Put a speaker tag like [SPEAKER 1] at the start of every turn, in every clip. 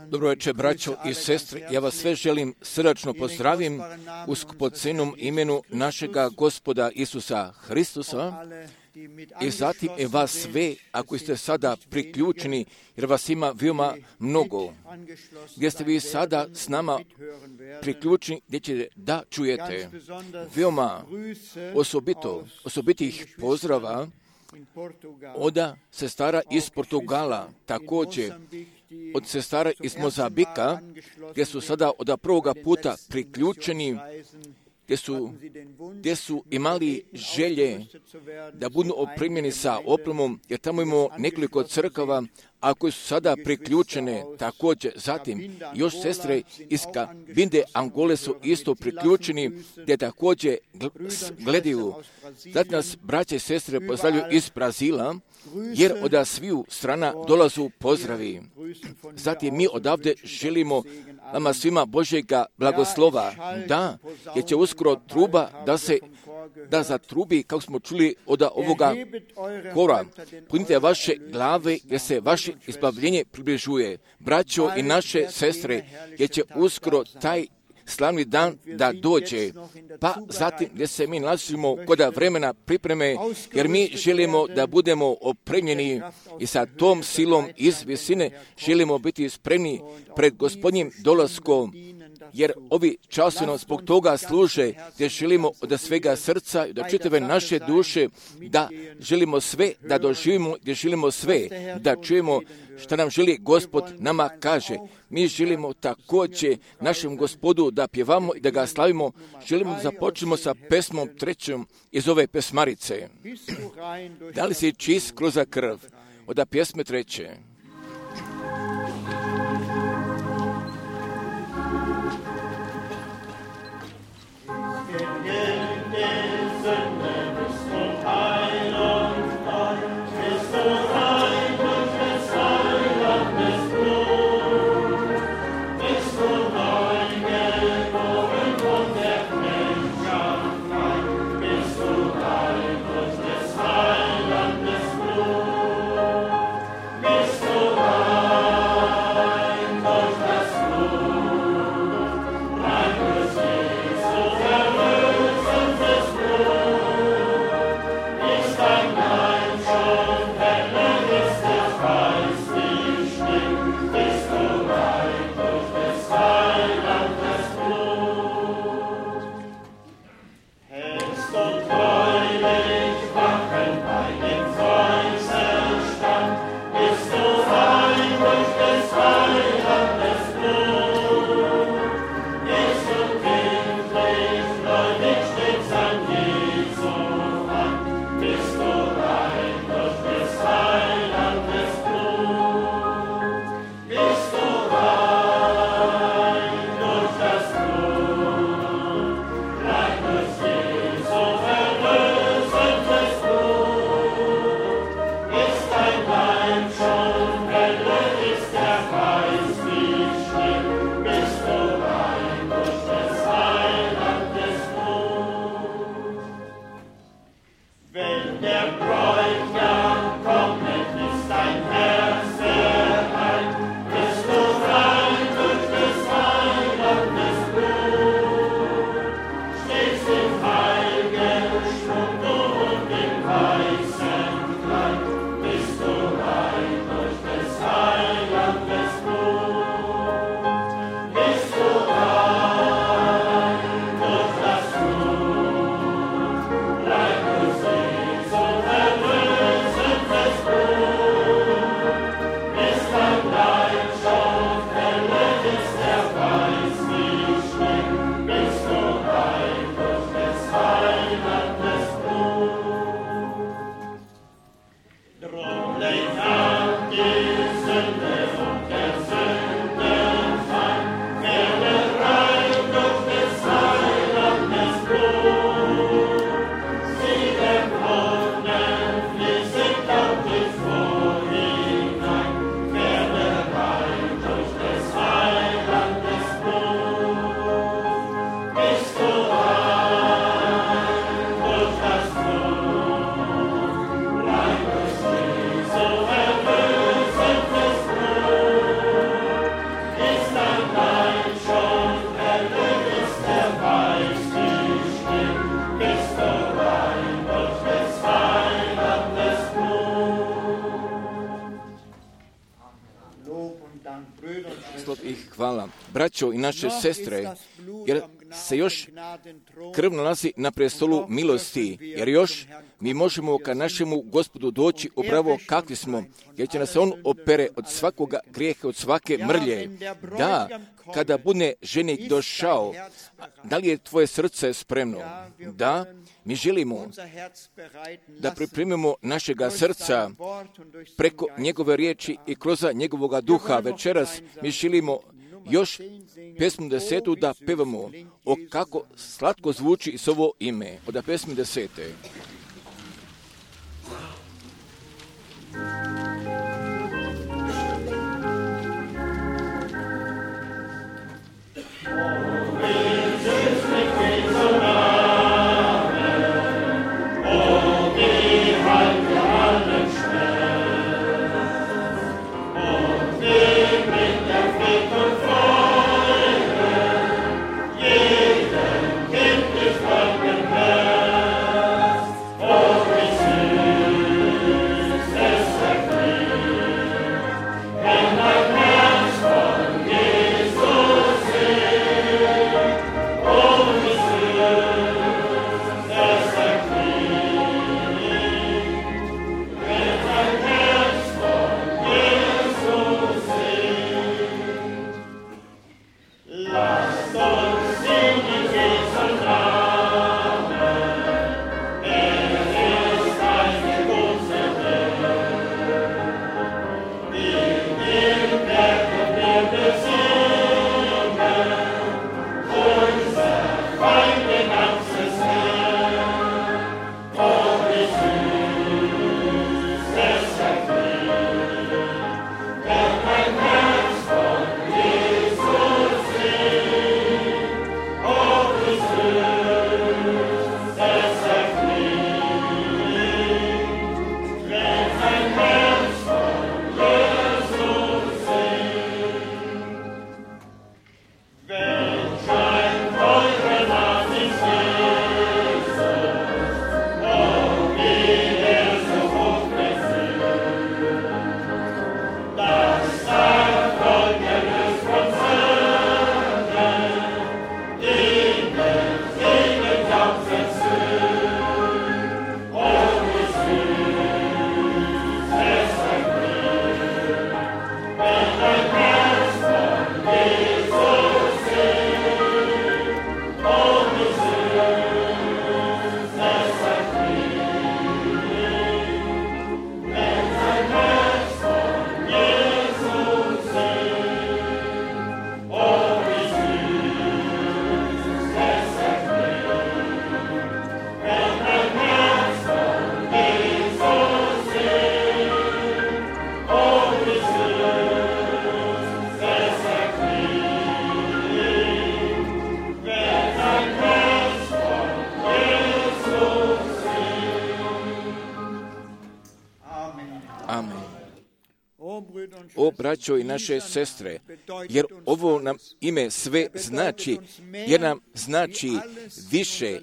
[SPEAKER 1] Dobro večer, braćo i sestre, ja vas sve želim srdačno pozdravim u skupocenom imenu našega Gospoda Isusa Hristusa i zatim i vas sve, ako ste sada priključeni, jer vas ima veoma mnogo, gdje ste vi sada s nama priključeni, gdje ćete da čujete veoma osobitih pozdrava od sestara iz Portugala, također od sestara iz Mozambika, gdje su sada od prvoga puta priključeni, gdje su imali želje da budu opremljeni sa opremom, jer tamo imamo nekoliko crkava, a koje su sada priključene također. Zatim još sestre iz Cabinda, Angole su isto priključeni, gdje također gledaju. Zatim nas braće i sestre pozdravljaju iz Brazila, jer od sviju strana dolazu pozdravi. Zatim mi odavde želimo vama svima Božjega blagoslova, jer će uskoro truba da zatrubi, kako smo čuli od ovoga kora. Punite vaše glave, jer se vaše izbavljenje približuje. Braćo i naše sestre, jer će uskoro taj slavni dan da dođe, pa zatim gdje se mi nalazimo kod vremena pripreme, jer mi želimo da budemo opremljeni i sa tom silom iz visine želimo biti spremni pred Gospodnjim dolaskom, jer ovi časovi nam zbog toga služe, gdje želimo od svega srca i od čitave naše duše da želimo sve da doživimo, gdje želimo sve da čujemo što nam želi Gospod nama kaže. Mi želimo također našem Gospodu da pjevamo i da ga slavimo. Želimo da započnemo sa pesmom 3. iz ove pesmarice. Da li si čist kroz krv? Od pjesme 3.
[SPEAKER 2] Bist du
[SPEAKER 1] I hvala. Braćo i naše sestre, jer se još krv nalazi na prestolu milosti, jer još mi možemo ka našemu Gospodu doći upravo kakvi smo, jer će nas on opere od svakoga grijeha, od svake mrlje. Da, kada bude ženik došao, da li je tvoje srce spremno? Da, mi želimo da pripremimo našega srca preko njegove riječi i kroz njegovoga duha. Večeras mi želimo još pesmu 10. da pevamo o kako slatko zvuči s ovo ime. Od pesmi 10. O braćo i naše sestre, jer ovo nam ime sve znači, jer nam znači više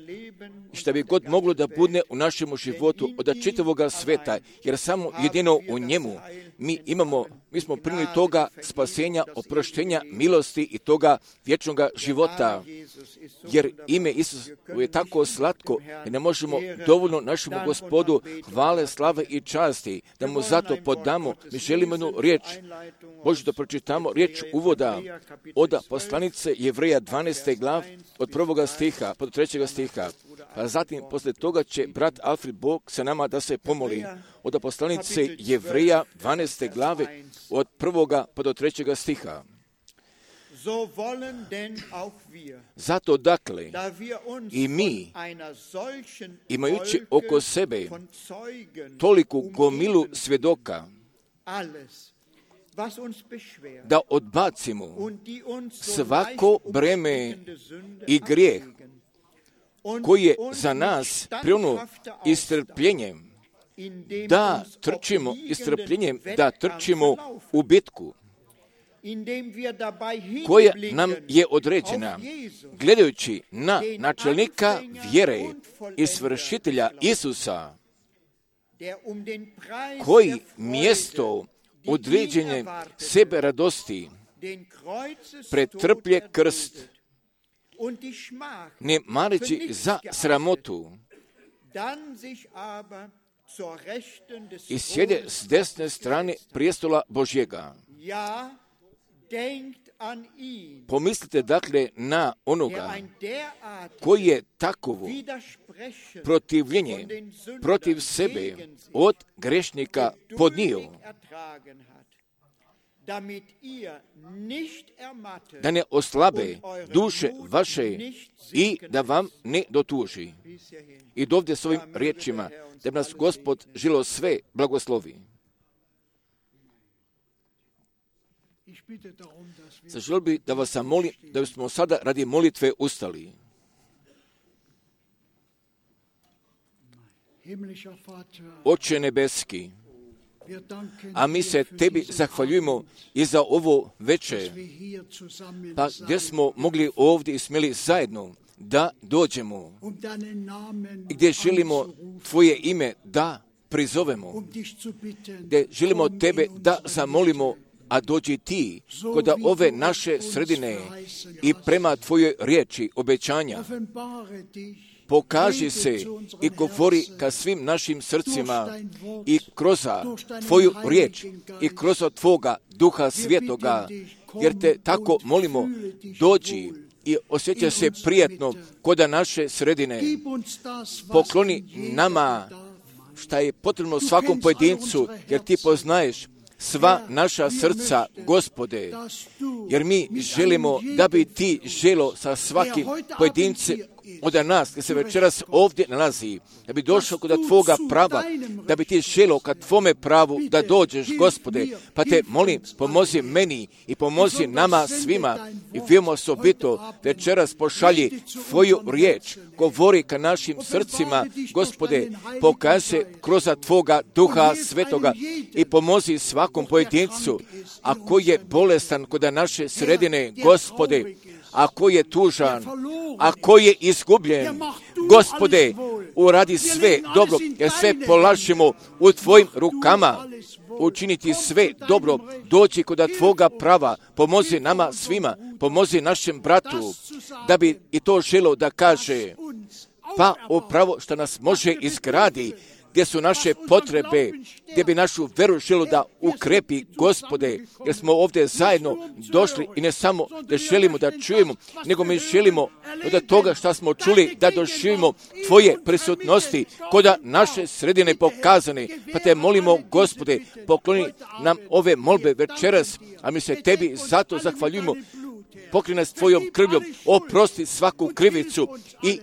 [SPEAKER 1] što bi god moglo da bude u našem životu od čitavoga sveta, jer samo jedino u njemu mi smo primili toga spasenja, oproštenja, milosti i toga vječnog života. Jer ime Isus je tako slatko i ne možemo dovoljno našemu Gospodu hvale, slave i časti, da mu zato podamo. Mi želimo jednu riječ, Bože da pročitamo riječ uvoda od poslanice Jevreja 12. glav od 1. stiha, pod 3. stiha. A zatim, posle toga će brat Alfred Bog sa nama da se pomoli. Od poslanice Jevreja 12. glave od 1. pa do 3. stiha. Zato dakle, i mi, imajući oko sebe toliku gomilu svjedoka, da odbacimo svako breme i grijeh koji je za nas prionuo istrpljenjem, da trčimo istrpljenjem, da trčimo u bitku koja nam je određena, gledajući na načelnika vjere i svršitelja Isusa, koji mjesto određenje sebe radosti pretrplje krst, ne mareći za sramotu, i sjede s desne strane prijestola Božjega. Pomislite dakle na onoga koji je takovo protivljenje protiv sebe od grešnika podnio, da ne oslabe duše vaše i da vam ne dotuži. I dovde s ovim riječima, da nas Gospod žilo sve blagoslovi. Zaželio bi da vas molim da smo sada radi molitve ustali. Oče nebeski, a mi se tebi zahvaljujemo i za ovo večer, pa gdje smo mogli ovdje i smjeli zajedno da dođemo, gdje želimo tvoje ime da prizovemo, gdje želimo tebe da zamolimo, a dođi ti kod ove naše sredine i prema tvojoj riječi obećanja. Pokaži se i govori ka svim našim srcima i kroz tvoju riječ i kroz tvoga Duha Svetoga, jer te tako molimo, dođi i osjeća se prijatno kod naše sredine. Pokloni nama šta je potrebno svakom pojedincu, jer ti poznaješ sva naša srca, Gospode, jer mi želimo da bi ti želo sa svakim pojedincem od nas, gdje se večeras ovdje nalazi, da bi došao kod tvoga prava, da bi ti želo kad tvome pravu da dođeš, Gospode, pa te molim, pomozi meni i pomozi nama svima i veoma osobito večeras pošalji tvoju riječ, govori ka našim srcima, Gospode, pokaži se kroz tvoga Duha Svetoga i pomozi svakom pojedincu, ako je bolestan kod naše sredine, Gospode, ako je tužan, ako je izgubljen, Gospode, uradi sve dobro, jer sve polažemo u tvojim rukama, učiniti sve dobro, doći kod tvoga prava, pomozi nama svima, pomozi našem bratu, da bi i to želo da kaže, pa upravo što nas može izgradi, gdje su naše potrebe, gdje bi našu veru želo da ukrepi, Gospode, jer smo ovdje zajedno došli i ne samo da želimo da čujemo, nego mi želimo od toga što smo čuli da doživimo tvoje prisutnosti kod naše sredine pokazane, pa te molimo, Gospode, pokloni nam ove molbe večeras, a mi se tebi zato zahvaljujemo, pokri nas tvojom krvljom, oprosti svaku krivicu i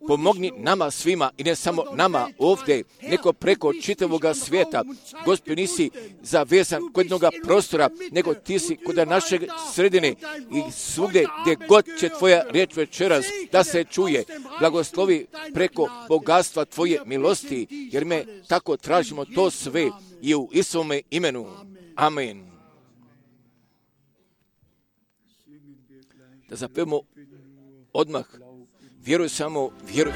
[SPEAKER 1] pomogni nama svima i ne samo nama ovdje, nego preko čitavoga svijeta. Gospod, nisi zavezan kod jednoga prostora, nego ti si kod naše sredine i svugdje gdje god će tvoja riječ večeras da se čuje. Blagoslovi preko bogatstva tvoje milosti, jer me tako tražimo to sve i u Isovome imenu. Amen. Da zapevamo odmah. Vjeruj samo, vjeruj.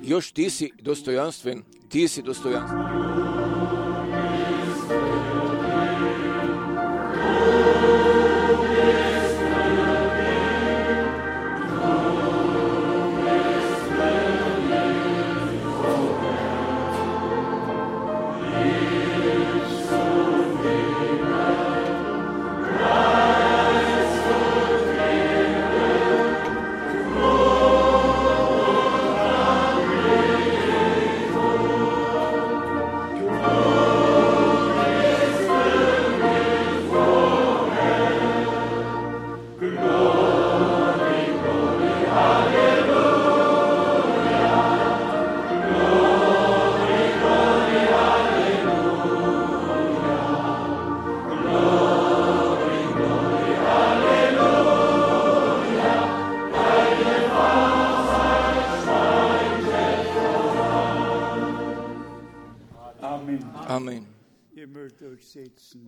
[SPEAKER 1] Još ti si dostojanstven, ti si dostojanstven.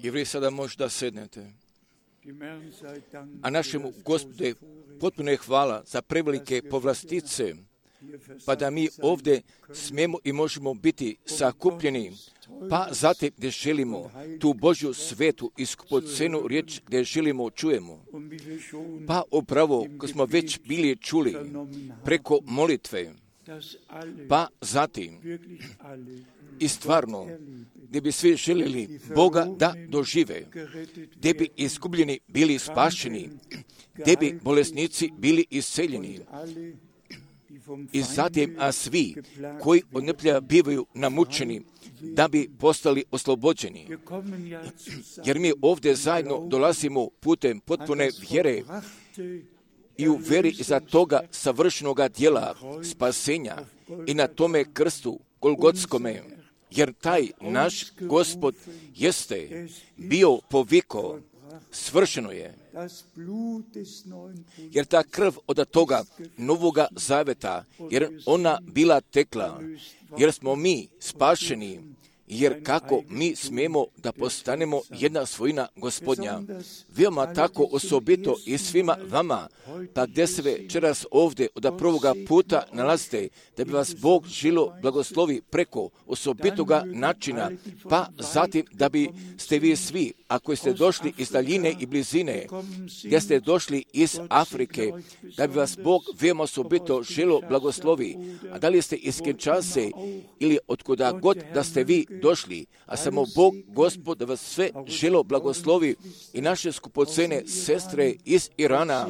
[SPEAKER 1] I vi sada možda sednete. A našemu Gospodu potpuno je hvala za prevelike povlastice, pa da mi ovdje smijemo i možemo biti sakupljeni, pa zatim gdje želimo tu Božju svetu i skupocenu riječ gdje želimo čujemo. Pa upravo, ko smo već bili čuli preko molitve, pa zatim i stvarno, gdje bi svi željeli Boga da dožive, gdje bi izgubljeni bili spašeni, gdje bi bolesnici bili isceljeni. I zatim, a svi koji od neplja bivaju namučeni, da bi postali oslobođeni. Jer mi ovdje zajedno dolazimo putem potpune vjere i u vjeri za toga savršenoga djela spasenja i na tome krstu Golgotskome. Jer taj naš Gospod jeste bio poviko, svršeno je. Jer ta krv od toga novoga zaveta, jer ona bila tekla, jer smo mi spašeni, jer kako mi smijemo da postanemo jedna svojina Gospodnja. Veoma tako osobito i svima vama, pa gdje se večeras ovdje od prvoga puta nalazite, da bi vas Bog žilo blagoslovi preko osobitoga načina, pa zatim da bi ste vi svi, ako ste došli iz daljine i blizine, gdje ste došli iz Afrike, da bi vas Bog veoma osobito žilo blagoslovi, a da li ste iz Kinshase ili otkuda god da ste vi došli, a samo Bog, Gospod, da vas sve želo blagoslovi i naše skupocene sestre iz Irana,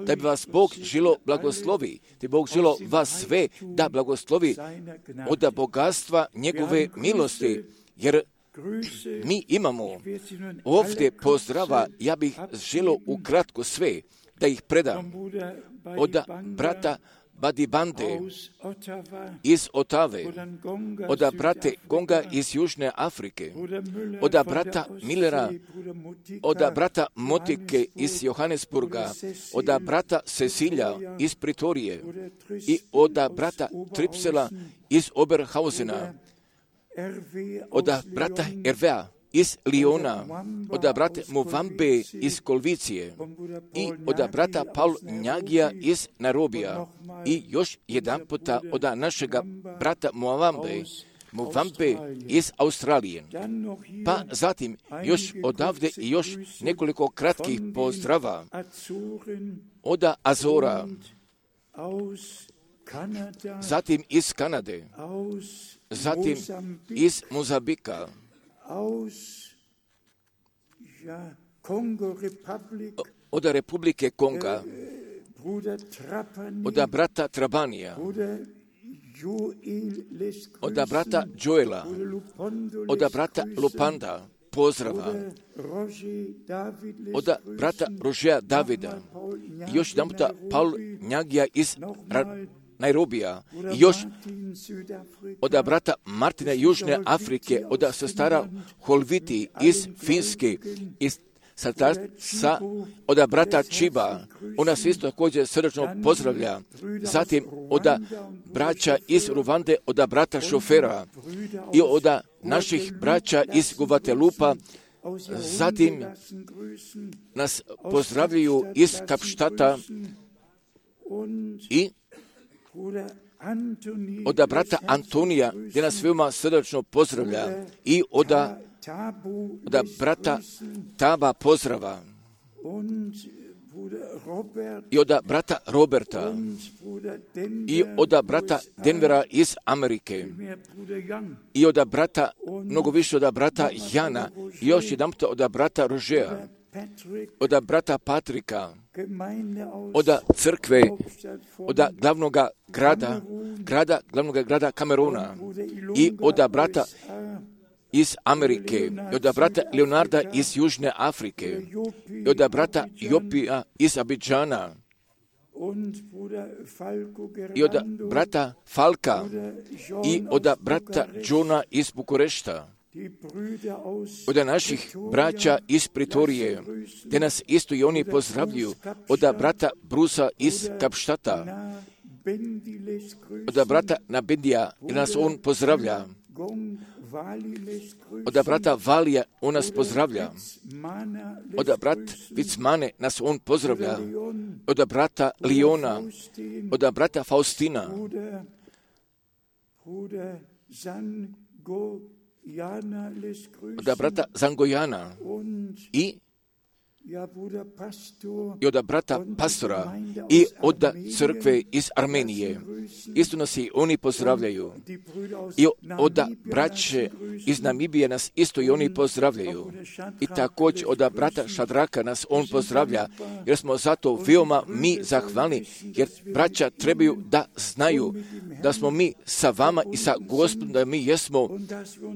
[SPEAKER 1] da bi vas Bog želo blagoslovi, da bi Bog želo vas sve da blagoslovi od bogatstva njegove milosti, jer mi imamo ovdje pozdrava, ja bih želo ukratko sve da ih predam od brata Badibande iz Otave, od brate Gonga iz Južne Afrike, od brata Millera, od brata Motike iz Johannesburga, od brata Cecilja iz Pritorije i od brata Tripsela iz Oberhausena, od brata Ervea iz Liona, od brata Muvambe iz Kolvicije i od brata Paul Njagija iz Nairobija i još jedan puta od našega brata Muvambe iz Australije. Pa zatim još odavde i još nekoliko kratkih pozdrava od Azora, zatim iz Kanade, zatim iz Mozambika, od Republike Konga, od brata Trabanija, od brata Joela, od brata Lupanda, pozdrava, od brata Rožeja Davida, još jedan puta Paul Njagija iz Nairobija, i još od brata Martina Južne Afrike, od sestara Holviti iz Finske, iz od brata Čiba, ona se isto također srdačno pozdravlja, zatim od braća iz Ruvande, od brata Šofera i od naših braća iz Guvatelupa, zatim nas pozdravljaju iz Kapštata i od brata Antonija, gdje nas veoma srdačno pozdravlja, i od brata Taba pozdrava, i od brata Roberta, i od brata Denvera iz Amerike, i od brata, mnogo više od brata Jana, i još jedan od brata Rožeja, od brata Patrika, od crkve, od glavnog grada Kameruna, i od brata iz Amerike, i od brata Leonarda iz Južne Afrike, i od brata Jopija iz Abidžana, i od brata Falka, i od brata Johna iz Bukurešta, od naših braća iz Pritorije, gdje nas isto i oni pozdravljuju, od brata Brusa iz Kapštata, od brata Nabendija, gdje nas on pozdravlja, Od brata Valija on nas pozdravlja. Od brat Vicmane nas on pozdravlja. Od brata Liona, od brata Faustina, od brata Zangojana i od brata Pastora i od crkve iz Armenije. Isto nas i oni pozdravljaju. I od braće iz Namibije nas isto i oni pozdravljaju. I također od brata Šadraka nas on pozdravlja, jer smo zato veoma mi zahvalni, jer braća trebaju da znaju da smo mi sa vama i sa Gospodom, da mi jesmo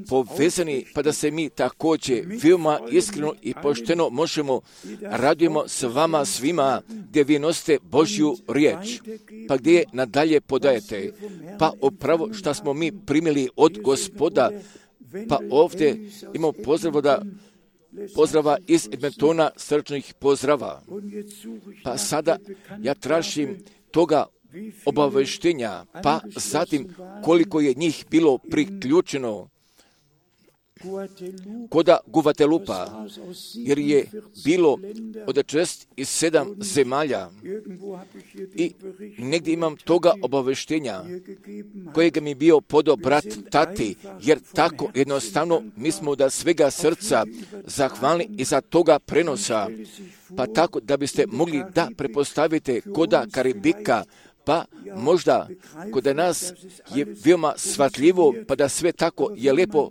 [SPEAKER 1] povezani, pa da se mi također veoma iskreno i pošteno možemo radujemo s vama svima gdje vi nosite Božju riječ, pa gdje je nadalje podajete. Pa upravo što smo mi primili od Gospoda, pa ovdje imamo pozdrava iz Edmontona, srčnih pozdrava. Pa sada ja tražim toga obaveštenja, pa zatim koliko je njih bilo priključeno koda Guvatelupa, jer je bilo od 67 zemalja i negdje imam toga obaveštenja kojega mi bio podao brat Tati, jer tako jednostavno mi smo da svega srca zahvalni i za toga prenosa, pa tako da biste mogli da prepostavite koda Karibika, pa možda kod nas je veoma shvatljivo, pa da sve tako je lijepo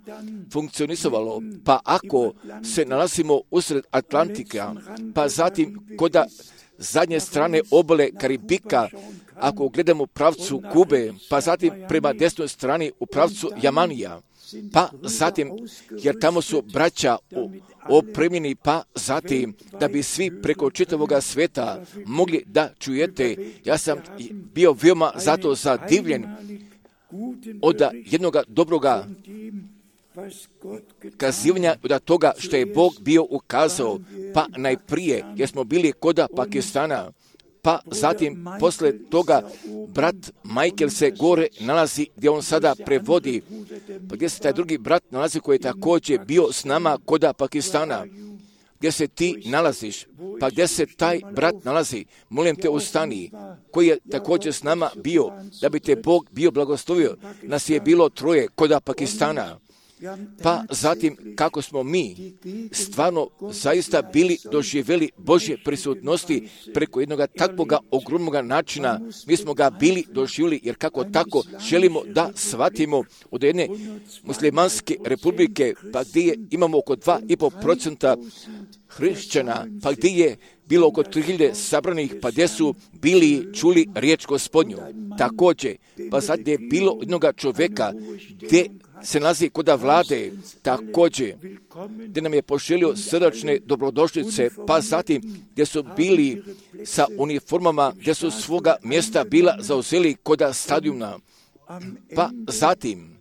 [SPEAKER 1] funkcionisalo. Pa ako se nalazimo usred Atlantika, pa zatim kod zadnje strane obale Karibika, ako gledamo u pravcu Kube, pa zatim prema desnoj strani u pravcu Jamanija, pa zatim, jer tamo su braća opremljeni, pa zatim, da bi svi preko čitavoga sveta mogli da čujete. Ja sam bio veoma zato zadivljen od jednoga dobroga kazivanja od toga što je Bog bio ukazao, pa najprije, jer smo bili koda Pakistana, pa zatim posle toga brat Michael se gore nalazi gdje on sada prevodi, pa gdje se taj drugi brat nalazi koji je također bio s nama koda Pakistana. Gdje se ti nalaziš, pa gdje se taj brat nalazi, molim te ustani, koji je također s nama bio, da bi te Bog bio blagoslovio. Nas je bilo 3 koda Pakistana. Pa zatim kako smo mi stvarno zaista bili doživjeli Božje prisutnosti preko jednog takvoga ogromnog načina, mi smo ga bili doživjeli, jer kako tako želimo da shvatimo od jedne muslimanske republike, pa gdje imamo oko 2,5% hrišćana, pa gdje je bilo oko 3000 sabranih, pa gdje su bili čuli riječ Gospodnju. Također, pa sad je bilo jednog čovjeka gdje se nalazi koda vlade, također, gdje nam je poželio srdačne dobrodošlice, pa zatim gdje su bili sa uniformama, gdje su svoga mjesta bila zauzeli koda stadiona, pa zatim,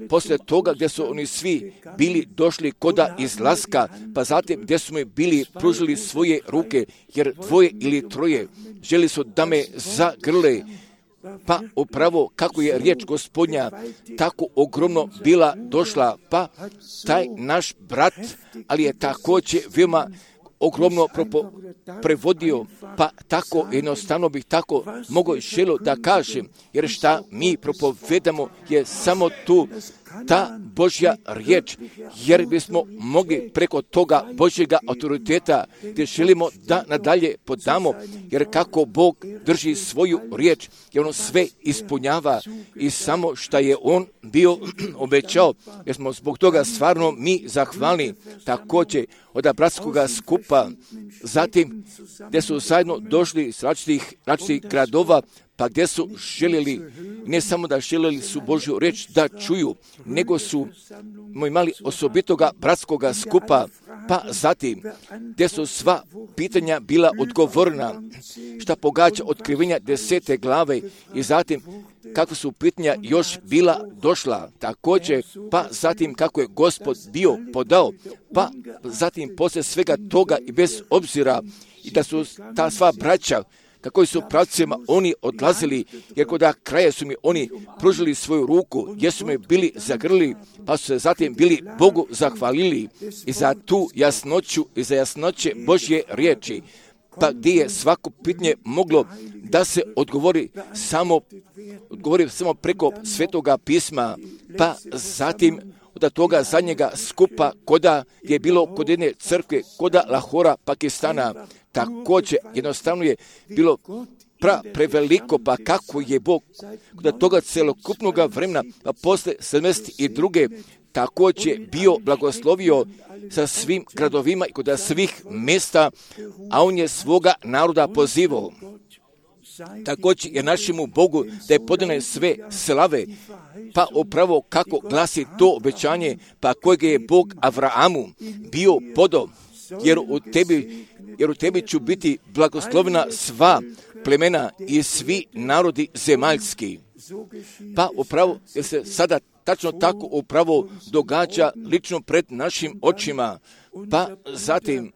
[SPEAKER 1] poslije toga gdje su oni svi bili došli koda izlaska, pa zatim gdje su mi bili pružili svoje ruke, jer 2 ili 3 želi su da me zagrle, pa upravo kako je riječ Gospodnja tako ogromno bila došla, pa taj naš brat, ali je također veoma ogromno prevodio, pa tako jednostavno bih tako mogao želio da kažem, jer šta mi propovedamo je samo tu ta Božja riječ, jer bismo mogli preko toga Božjega autoriteta gdje želimo da nadalje podamo, jer kako Bog drži svoju riječ, jer on sve ispunjava i samo što je on bio obećao, jer smo zbog toga stvarno mi zahvalni. Također od bratskoga skupa, zatim gdje su zajedno došli iz različitih gradova, pa gdje su željeli, ne samo da željeli su Božju riječ da čuju, nego su imali osobitoga bratskoga skupa, pa zatim gdje su sva pitanja bila odgovorna, šta pogađa otkrivenja 10. glave i zatim kako su pitanja još bila došla, također, pa zatim kako je Gospod bio podao, pa zatim poslije svega toga i bez obzira i da su ta sva braća kako su pravcima oni odlazili, jer kod kraja su mi oni pružili svoju ruku, jer su me bili zagrlili, pa su se zatim bili Bogu zahvalili i za tu jasnoću i za jasnoće Božje riječi. Pa gdje je svako pitanje moglo da se odgovori samo preko Svetoga pisma, pa zatim od toga zadnjega skupa koda je bilo kod jedne crkve, koda Lahora, Pakistana, također jednostavno je bilo preveliko, pa kako je Bog kod toga celokupnog vremena, pa posle 72. također bio blagoslovio sa svim gradovima i kod svih mjesta, a on je svoga naroda pozivao. Također je našemu Bogu da je podane sve slave, pa upravo kako glasi to obećanje, pa kojeg je Bog Avraamu bio podao, jer u tebi ću biti blagoslovena sva plemena i svi narodi zemaljski. Pa upravo jer se sada tačno tako upravo događa lično pred našim očima, pa zatim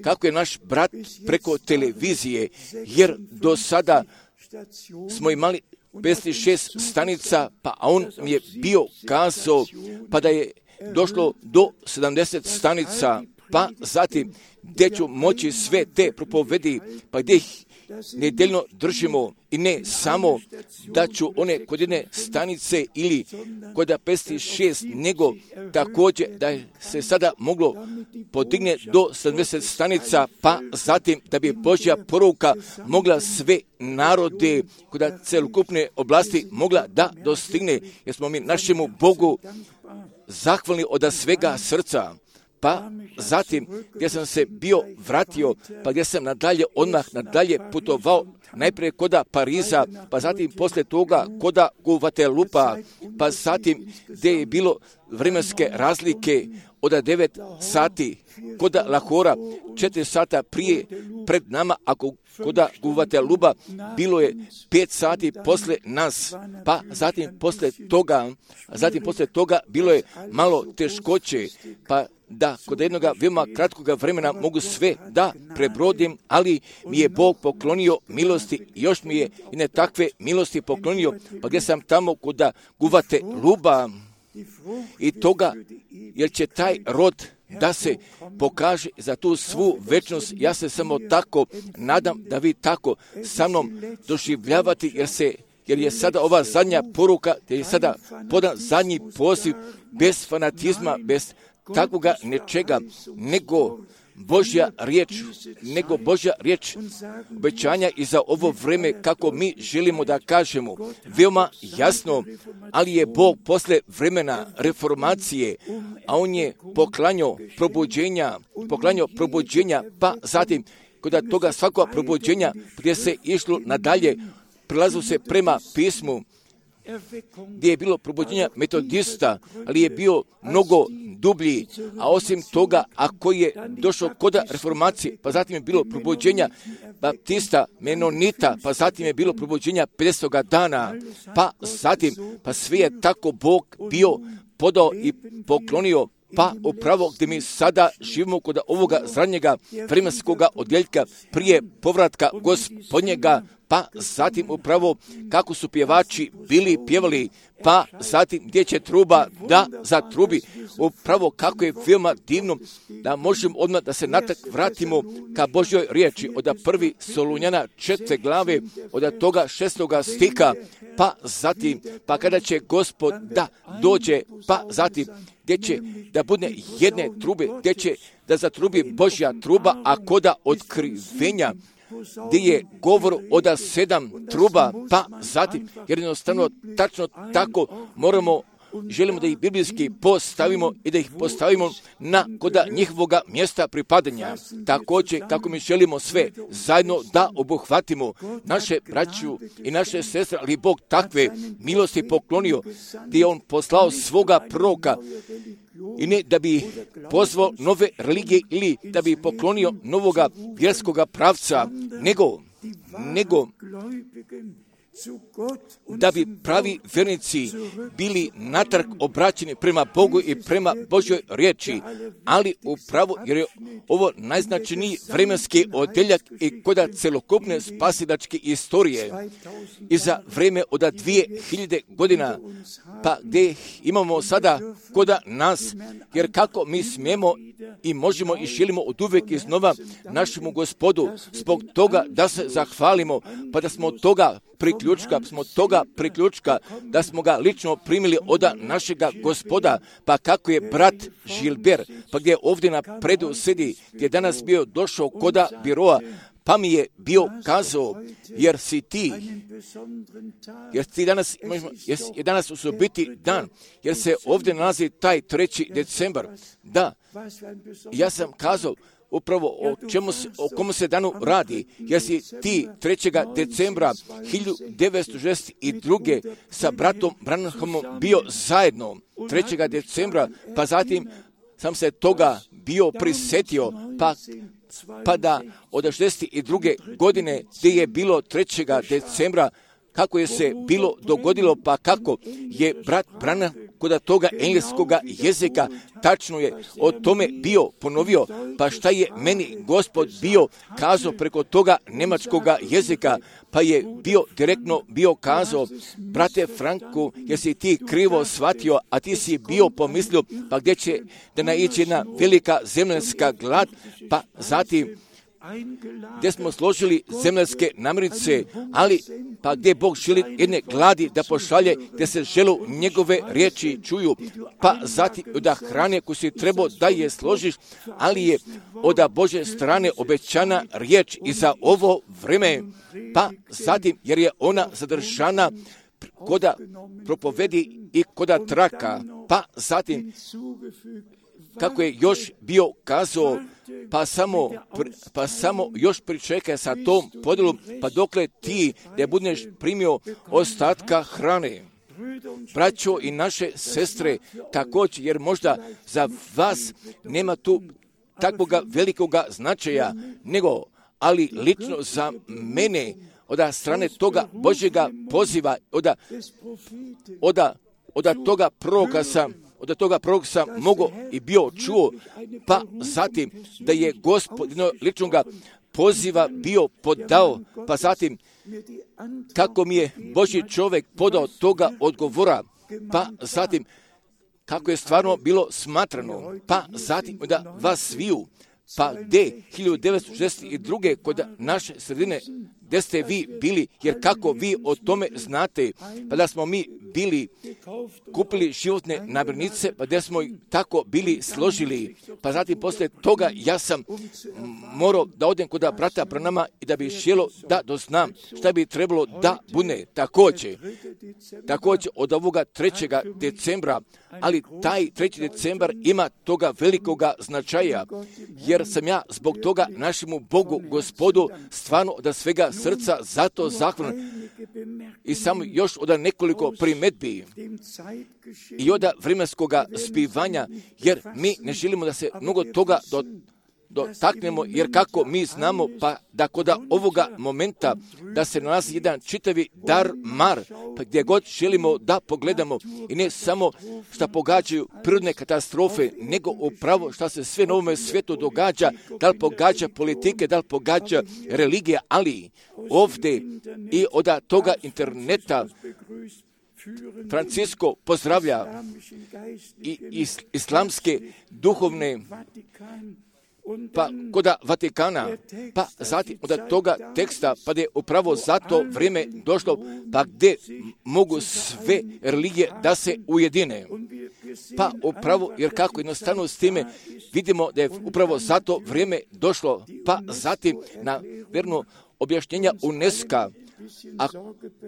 [SPEAKER 1] kako je naš brat preko televizije, jer do sada smo imali 56 stanica, pa on mi je bio kazao, pa da je došlo do 70 stanica, pa zatim gdje ću moći sve te propovedi, pa gdje ih nedeljno držimo i ne samo da ću one kod jedne stanice ili kod 56, nego također da se sada moglo podigne do 70 stanica, pa zatim da bi Božja poruka mogla sve narode kod celokupne oblasti mogla da dostigne, jer smo mi našemu Bogu zahvalni od svega srca. Pa zatim gdje sam se bio vratio, pa gdje sam odmah nadalje putovao, najprije koda Pariza, pa zatim poslije toga koda Guatelupa, pa zatim gdje je bilo vremenske razlike od 9 sati, koda Lahora 4 sata prije pred nama, ako koda Guatelupa bilo je 5 sati posle nas, pa zatim poslije toga bilo je malo teškoće, pa da kod jednog veoma kratkoga vremena mogu sve da prebrodim, ali mi je Bog poklonio milosti, još mi je i ne takve milosti poklonio, pa gdje sam tamo kod Guatelupa i toga, jer će taj rod da se pokaže za tu svu večnost. Ja se samo tako nadam da vi tako sa mnom doživljavati, jer je sada ova zadnja poruka, jer je sada podan zadnji poziv bez fanatizma, bez takvoga nečega, nego Božja riječ obećanja i za ovo vrijeme kako mi želimo da kažemo veoma jasno, ali je Bog posle vremena reformacije, a on je poklanjao probuđenja, pa zatim kod toga svakog probuđenja gdje se išlo nadalje, prilazilo se prema pismu, gdje je bilo probuđenja metodista, ali je bio mnogo dublji, a osim toga, ako je došlo kod reformacije, pa zatim je bilo probuđenja baptista, menonita, pa zatim je bilo probuđenja 50. dana, pa zatim, pa sve je tako Bog bio podao i poklonio, pa upravo gdje mi sada živimo kod ovoga zadnjega vremenskoga odjeljka prije povratka Gospodnjega, pa zatim upravo kako su pjevači bili pjevali, pa zatim gdje će truba da zatrubi, upravo kako je veoma divno da možemo odmah da se natak vratimo ka Božjoj riječi od 1. Solunjana 4. glave, od toga 6. stiha, pa zatim, pa kada će Gospod da dođe, pa zatim gdje će da bude jedne trube, gdje će da zatrubi Božja truba, a koda otkrivenja, gdje je govor od 7 truba, pa zatim, jer jednostavno tačno tako želimo da ih biblijski postavimo i da ih postavimo na koda njihovoga mjesta pripadanja. Također, kako mi želimo sve zajedno da obuhvatimo naše braću i naše sestre, ali Bog takve milosti poklonio, gdje je on poslao svoga proroka, i ne da bi pozvao nove religije ili da bi poklonio novoga vjerskoga pravca, nego da bi pravi vjernici bili natrag obraćeni prema Bogu i prema Božjoj riječi, ali upravo jer je ovo najznačajniji vremenski odjeljak i koda celokupne spasilačke istorije i za vrijeme od 2000 godina, pa gdje imamo sada koda nas, jer kako mi smijemo i možemo i želimo od uvijek iznova našemu Gospodu zbog toga da se zahvalimo, pa da smo toga priključka, da smo ga lično primili od našega Gospoda, pa kako je brat Žilber, pa gdje ovdje na predu sedi, gdje je danas bio došao koda biroa, pa mi je bio kazao, jer je danas osobiti dan, jer se ovdje nalazi taj 3. decembar. Da, ja sam kazao upravo o komu se danu radi, jer si ti 3. decembra 1962. sa bratom Branhamom bio zajedno 3. decembra, pa zatim sam se toga bio prisjetio, pa da od 62. godine gdje je bilo 3. decembra, kako je se bilo dogodilo, pa kako je brat Branham kod toga engleskoga jezika, tačno je o tome bio ponovio, pa šta je meni Gospod bio kazao preko toga njemačkoga jezika, pa je direktno bio kazao, brate Franku, jesi ti krivo shvatio, a ti si bio pomislio, pa gdje će da naići jedna velika zemljanska glad, pa zatim gdje smo složili zemljske namirnice, ali pa gdje Bog želi jedne gladi da pošalje, gdje se želu njegove riječi čuju, pa zatim od hrane koju si trebao da je složiš, ali je od Božje strane obećana riječ i za ovo vrijeme, pa zatim jer je ona zadržana koda propovedi i koda traka, pa zatim kako je još bio kazao, pa samo još pričekaj sa tom podjelom, pa dokle ti ne budeš primio ostatka hrane. Braćo i naše sestre, također, jer možda za vas nema tu takvoga velikoga značaja, nego, ali lično za mene, od strane toga Božjega poziva, od toga proroka sam mogao i bio čuo, pa zatim da je Gospod ličnoga poziva bio podao, pa zatim kako mi je Božji čovjek podao toga odgovora, pa zatim kako je stvarno bilo smatrano, pa zatim da vas sviju, pa gdje 1962. kod naše sredine, gdje ste vi bili, jer kako vi o tome znate, pa da smo mi bili, kupili životne namirnice, pa da smo tako bili složili, pa zatim poslije toga ja sam morao da odem kod brata Branhama i da bi želio da doznam šta bi trebalo da bude također od ovoga 3. decembra, ali taj 3. decembar ima toga velikoga značaja, jer sam ja zbog toga našemu Bogu, Gospodu, stvarno od svega srca zato zahvalan. I samo još od nekoliko primjedbi i od vremenskoga zbivanja, jer mi ne želimo da se mnogo toga dotaknemo, jer kako mi znamo, pa da kod ovoga momenta da se nalazi jedan čitavi dar mar, pa gdje god želimo da pogledamo i ne samo što pogađaju prirodne katastrofe, nego upravo što se sve na ovome svijetu događa, da li pogađa politike, da li pogađa religije, ali ovdje i od toga interneta Francisko pozdravlja i islamske duhovne, pa kod Vatikana, pa zatim od toga teksta, pa da je upravo za to vrijeme došlo, pa gdje mogu sve religije da se ujedine. Pa upravo, jer kako jednostavno s time vidimo da je upravo za to vrijeme došlo, pa zatim na verno objašnjenja UNESCO-a, a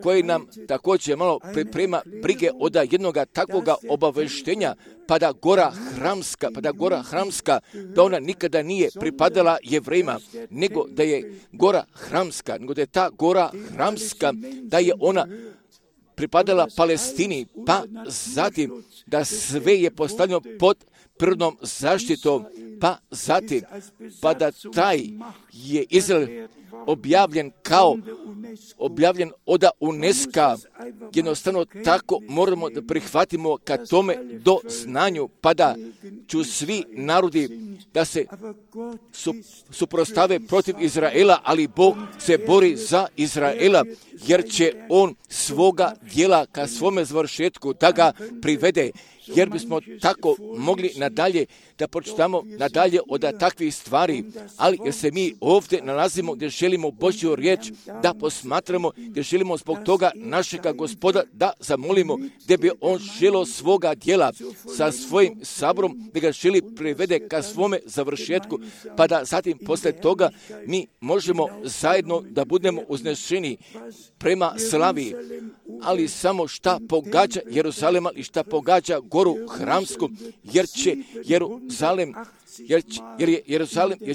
[SPEAKER 1] koji nam također malo priprema brige od jednoga takvoga obaveštenja, pa da gora Hramska, da ona nikada nije pripadala Jevrejima, nego da je gora Hramska, nego da je ta gora Hramska, da je ona pripadala Palestini, pa zatim da sve je postavljeno pod prirodnom zaštitom, pa zatim, pa da taj je Izrael objavljen od UNESCO. Jednostavno tako moramo da prihvatimo ka tome do znanju, pa da ću svi narodi da se suprostave protiv Izraela, ali Bog se bori za Izraela, jer će on svoga djela ka svome završetku da ga privede. Jer bismo tako mogli nadalje da pročitamo nadalje od takvih stvari, ali jer se mi ovdje nalazimo gdje želimo Božju riječ da posmatramo, gdje želimo zbog toga našega Gospoda da zamolimo, gdje bi on želio svoga djela sa svojim saborom, da ga želi privede ka svome završetku, pa da zatim poslije toga mi možemo zajedno da budemo uznešeni prema slavi, ali samo šta pogađa Jeruzalema i šta pogađa goru hramsku, jer će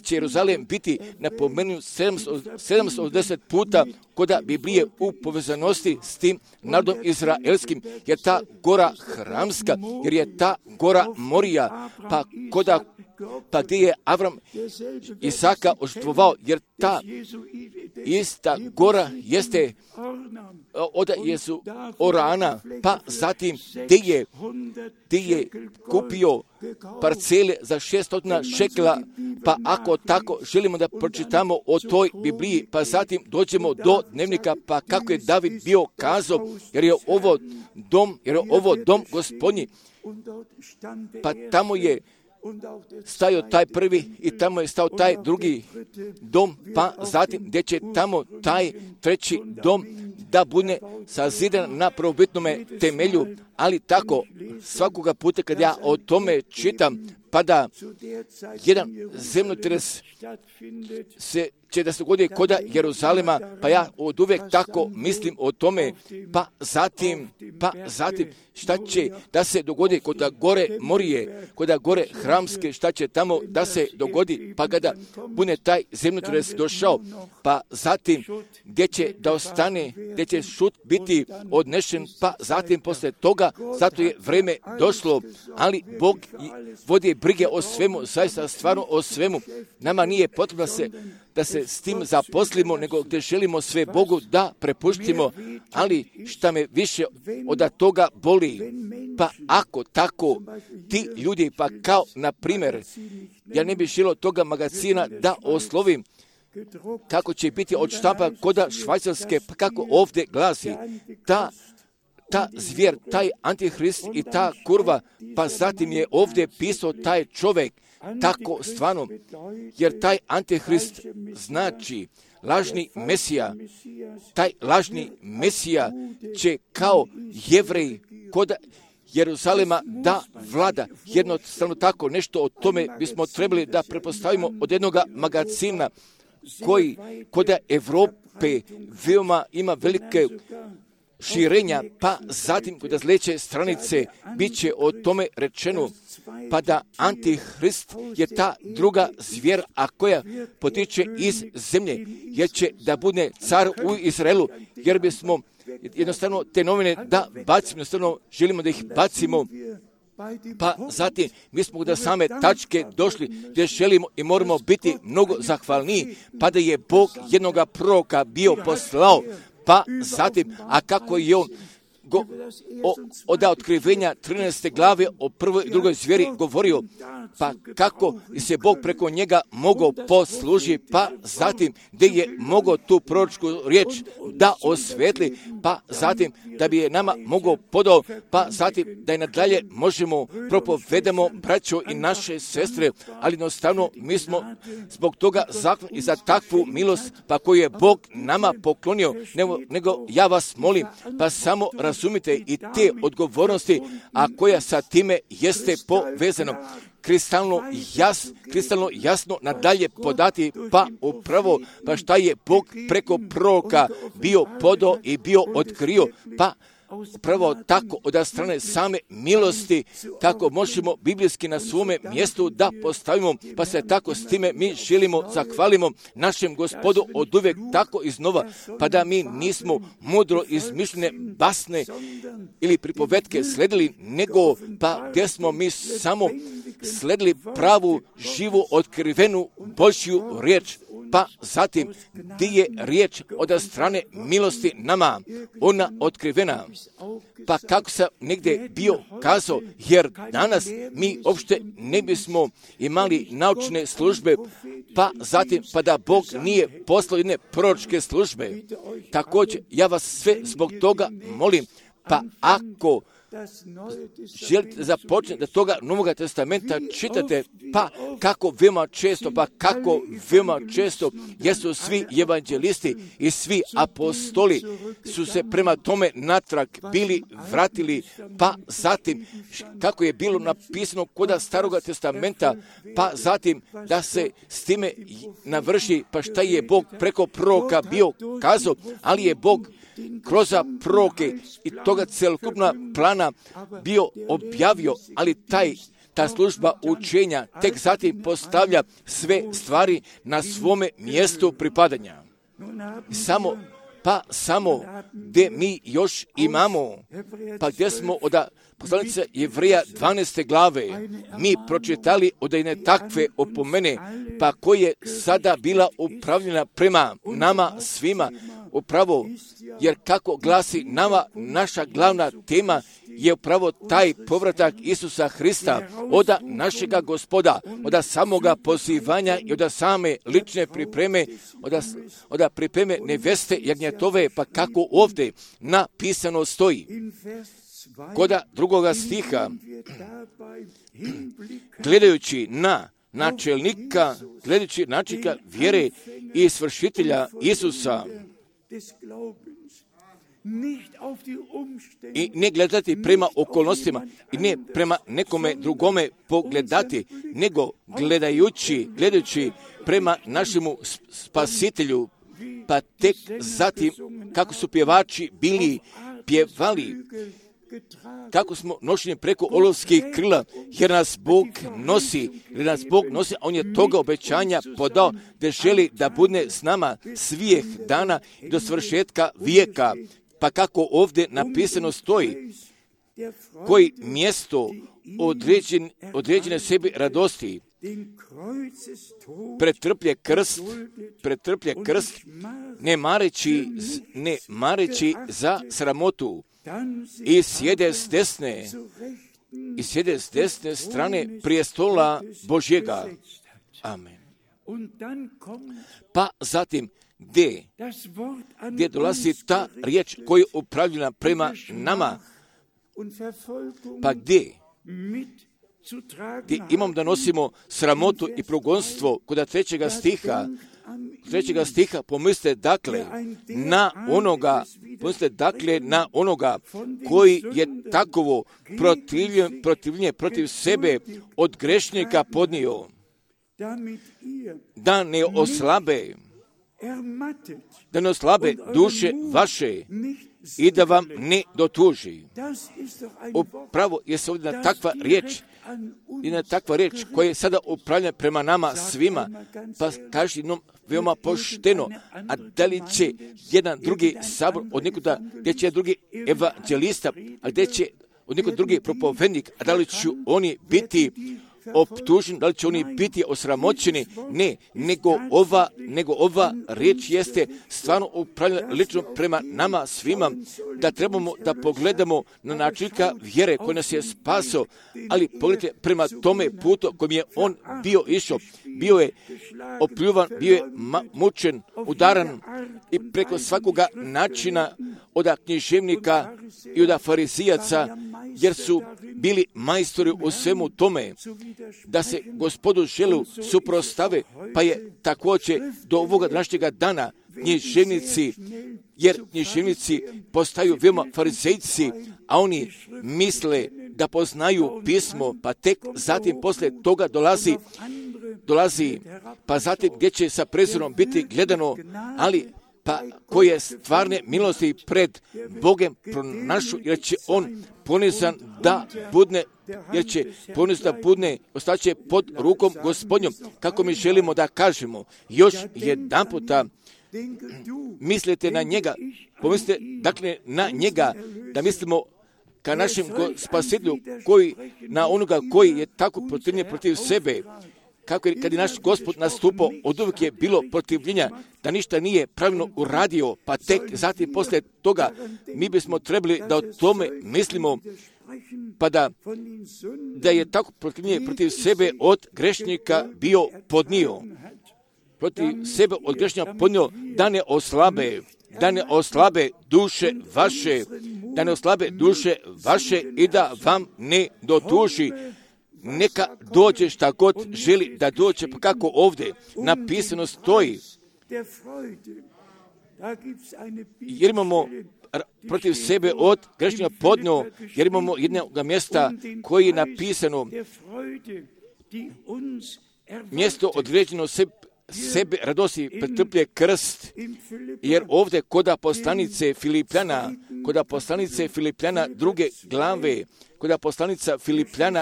[SPEAKER 1] Jeruzalem biti napomenut 780 puta kod Biblije u povezanosti s tim narodom izraelskim, jer ta gora hramska, jer je ta gora Morija, pa gdje je Avram Isaka ožrtvovao, jer ta ista gora jeste od Jesu Orana, pa zatim gdje je kupio parcele za 600 šekela, pa ako tako želimo da pročitamo o toj Bibliji, pa zatim dođemo do dnevnika, pa kako je David bio kazao, jer je ovo dom Gospodnji, pa tamo je stajao taj prvi i tamo je stao taj drugi dom, pa zatim gdje će tamo taj treći dom da bude sazidan na prvobitnome temelju, ali tako svakoga puta kad ja o tome čitam, pa da jedan zemljotres će da se dogodi kod Jeruzalema, pa ja od uvijek tako mislim o tome, pa zatim šta će da se dogodi kod gore Morije, kod gore hramske, šta će tamo da se dogodi, pa kada bude taj zemljotres došao, pa zatim gdje će da ostane, gdje će šut biti odnešen, pa zatim posle toga, zato je vreme došlo, ali Bog vodi brige o svemu, zaista stvarno o svemu. Nama nije potrebno da se s tim zaposlimo, nego gdje želimo sve Bogu da prepuštimo, ali šta me više od toga boli, pa ako tako ti ljudi, pa kao na primjer, ja ne bih želio toga magazina da oslovim, kako će biti od štampa kod Švajcarske, pa kako ovdje glasi, ta zvijer, taj antihrist i ta kurva, pa zatim je ovdje pisao taj čovjek, tako stvarno, jer taj antihrist znači lažni Mesija. Taj lažni Mesija će kao Jevrej kod Jeruzalema da vlada. Jednostavno tako nešto o tome bismo trebali da prepostavimo od jednog magazina koji kod Evrope veoma ima velike širenja, pa zatim kod sljedeće stranice bit će o tome rečeno, pa da antihrist je ta druga zvijer, a koja potiče iz zemlje, jer će da bude car u Izraelu, jer bismo jednostavno te novine da bacimo, jednostavno želimo da ih bacimo, pa zatim mi smo do same tačke došli gdje želimo i moramo biti mnogo zahvalniji, pa da je Bog jednoga proroka bio poslao, pa zatim, a kako je on od otkrivenja 13. glave o prvoj i drugoj zvijeri govorio, pa kako se Bog preko njega mogao poslužiti, pa zatim gdje je mogao tu proročku riječ da osvetli, pa zatim da bi je nama mogao podao, pa zatim da je nadalje možemo propovedamo braćo i naše sestre, ali jednostavno mi smo zbog toga zahvalni i za takvu milost, pa koju je Bog nama poklonio, nego ja vas molim, pa samo razumite i te odgovornosti, a koja sa time jeste povezano. Kristalno jasno nadalje podati, pa upravo, pa šta je Bog preko proroka bio podao i bio otkrio, pa upravo tako od strane same milosti, kako možemo biblijski na svome mjestu da postavimo, pa se tako s time mi želimo, zahvalimo našem Gospodu od uvijek tako iznova, pa da mi nismo mudro izmišljene basne ili pripovetke sledili, nego pa gdje smo mi samo sledili pravu, živu, otkrivenu Božju riječ, pa zatim gdje je riječ od strane milosti nama, ona otkrivena. Pa kako sam negdje bio kazao, jer danas mi uopšte ne bismo imali naučne službe, pa zatim pa da Bog nije poslao jedne proročke službe. Također, ja vas sve zbog toga molim, pa ako želite započeti da toga Novoga testamenta čitate, pa kako veoma često jesu svi evanđelisti i svi apostoli su se prema tome natrag bili vratili, pa zatim kako je bilo napisano kod Staroga testamenta, pa zatim da se s time navrši, pa šta je Bog preko proroka bio kazao, ali je Bog kroz proroke i toga celokupna plana bio objavio, ali ta služba učenja tek zatim postavlja sve stvari na svome mjestu pripadanja. Samo gdje mi još imamo, pa gdje smo od poslanice Jevreja 12. glave, mi pročitali od jedne takve opomene, pa koja je sada bila upravljena prema nama svima, upravo, jer kako glasi nama, naša glavna tema je upravo taj povratak Isusa Hrista od našega Gospoda, od samoga pozivanja i od same lične pripreme, od pripreme neveste jagnjetove, pa kako ovdje napisano stoji. Kod drugoga stiha, gledajući na načelnika vjere i svršitelja Isusa, i ne gledati prema okolnostima i ne prema nekome drugome pogledati, nego gledajući prema našemu spasitelju, pa tek zatim kako su pjevači bili pjevali, kako smo nošeni preko olovskih krila, jer nas Bog nosi, a on je toga obećanja podao da želi da bude s nama svih dana i do svršetka vijeka. Pa kako ovdje napisano stoji, koji mjesto određene sebi radosti pretrplje krst, ne mareći za sramotu, i sjede s desne strane prijestola Božjega. Amen. Pa zatim, gdje dolazi ta riječ koja je upravljena prema nama, pa gdje imam da nosimo sramotu i progonstvo kod trećega stiha, pomislite dakle na onoga koji je takovo protivljenje protiv sebe od grešnika podnio, da ne oslabe duše vaše i da vam ne dotuži. Upravo je se ovdje na takva riječ koja je sada upravljena prema nama svima, pa kaže jednom veoma pošteno, a da li će jedan drugi sabor od nekuda, gdje će drugi evanđelista, a gdje će od nekog drugi propovednik, a da li će oni biti optuženi, da li će oni biti osramoćeni? Ne, nego ova riječ jeste stvarno upravljena lično prema nama svima, da trebamo da pogledamo na načelnika vjere koji nas je spasao, ali pogledajte prema tome putu kojim je on bio išao. Bio je opljuvan, bio je mučen, udaran i preko svakoga načina od književnika i od farizijaca, jer su bili majstori u svemu tome, da se Gospodu želu suprostave, pa je također do ovoga današnjega dana književnici postaju veoma farizejci, a oni misle da poznaju pismo, pa tek zatim poslije toga dolazi, pa zatim gdje će sa prezirom biti gledano, ali pa koje stvarne milosti pred Bogem pronašu, jer će on ponizan da budne, ostaće pod rukom Gospodnjom, kako mi želimo da kažemo. Još jedan puta mislite na njega, pomislite dakle na njega, da mislimo ka našem spasitelju, na onoga koji je tako protivljen protiv sebe, kako je kad je naš Gospod nastupao, od uvijek je bilo protivljenja, da ništa nije pravilno uradio, pa tek zatim poslije toga mi bismo trebali da o tome mislimo, pa da je tako protivljenje protiv sebe od grešnika bio podnio. Protiv sebe od grešnika podnio da ne oslabe duše vaše i da vam ne dotuši. Neka dođe šta god želi da dođe, pa kako ovdje napisano stoji. Jer imamo protiv sebe od grešnika podnio, jer imamo jednog mjesta koji je napisano, mjesto određeno sebe radosti pretrplje krst, jer ovdje kod poslanice Filipljana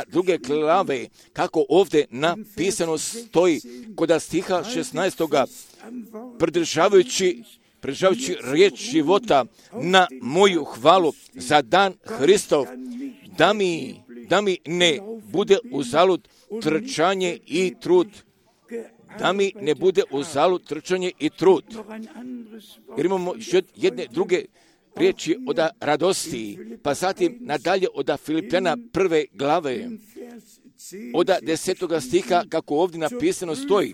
[SPEAKER 1] druge glave, kako ovdje napisano stoji, kod stiha 16. pridržavajući riječ života na moju hvalu za dan Hristov, da mi ne bude uzalud trčanje i trud. Jer imamo još jedne druge riječi od radosti, pa zatim nadalje od Filipljana 1. glave, od 10. stiha, kako ovdje napisano stoji.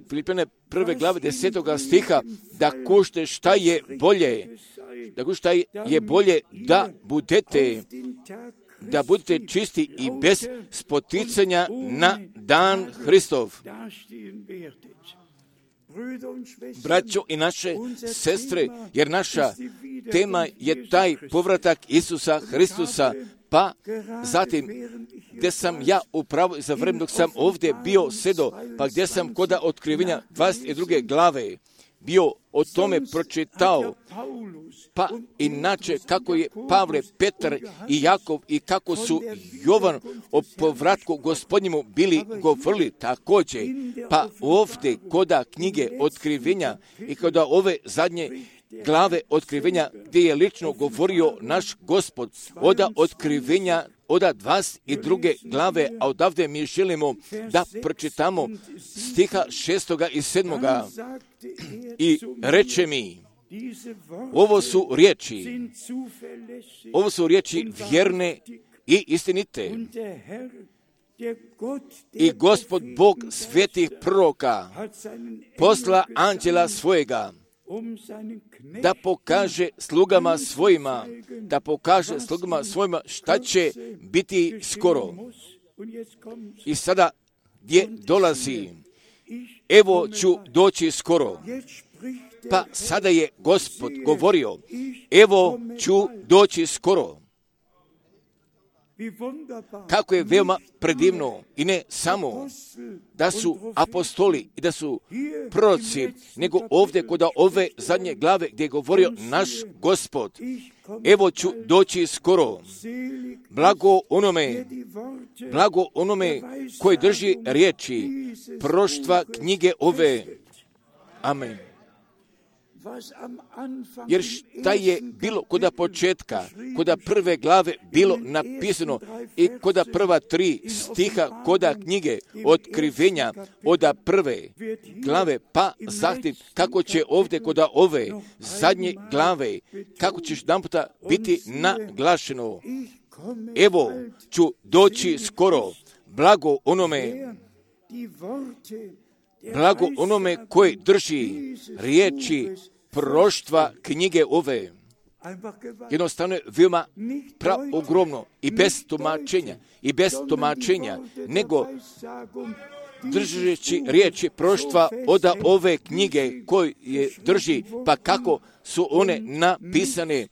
[SPEAKER 1] Filipljana 1. glave 10. stiha, da kušte šta je bolje, da budete čisti i bez spoticanja na dan Hristov. Braćo i naše sestre, jer naša tema je taj povratak Isusa Hristusa, pa zatim gdje sam ja upravo za vrijeme dok sam ovdje bio sedo, pa gdje sam kod otkrivenja 22. glave bio o tome pročitao, pa inače kako je Pavle, Petar i Jakov i kako su Jovan o povratku Gospodnjemu bili govorili također, pa ovdje koda knjige otkrivenja i koda ove zadnje glave otkrivenja gdje je lično govorio naš Gospod, od otkrivenja od 22. glave, a odavde mi želimo da pročitamo stiha 6. i 7. I reče mi, ovo su riječi vjerne i istinite. I Gospod Bog svetih proroka posla anđela svojega, da pokaže slugama svojima šta će biti skoro. I sada gdje dolazi? Evo ću doći skoro. Pa sada je Gospod govorio, evo ću doći skoro. Kako je veoma predivno, i ne samo da su apostoli i da su proroci, nego ovdje kod ove zadnje glave gdje je govorio naš Gospod, evo ću doći skoro. Blago onome koji drži riječi proštva knjige ove. Amen. Jer šta je bilo koda početka, koda prve glave bilo napisano i koda prva 3 stiha koda knjige otkrivenja od prve glave, pa zatim kako će ovdje koda ove zadnje glave, kako ćeš jedanputa biti naglašeno. Evo ću doći skoro, blago onome koji drži riječi proštva knjige ove. Jednostavno je veoma ogromno i bez tumačenja, nego držeći riječi proštva od ove knjige koje drži, pa kako su one napisane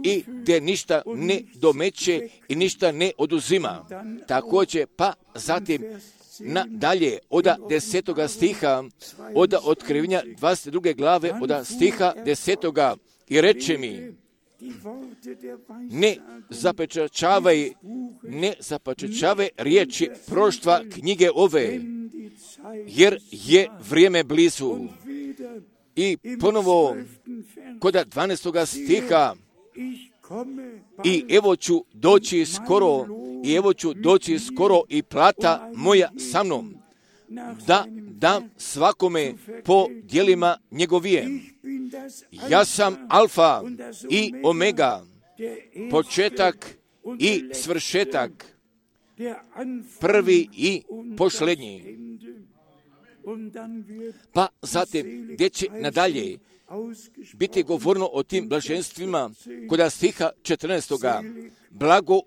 [SPEAKER 1] i gdje ništa ne domeće i ništa ne oduzima. Također, pa zatim nadalje od 10. stiha, od otkrivenja 22. glave, od stiha 10. I reče mi, ne zapečačavaj riječi proštva knjige ove, jer je vrijeme blizu. I ponovo kod 12. stiha, i evo ću doći skoro, i plata moja sa mnom. da dam svakome po djelima njegovije. Ja sam Alfa i Omega, početak i svršetak, prvi i posljednji. Pa zatim, gdje će nadalje biti govorno o tim blaženstvima, kod stiha 14. Blago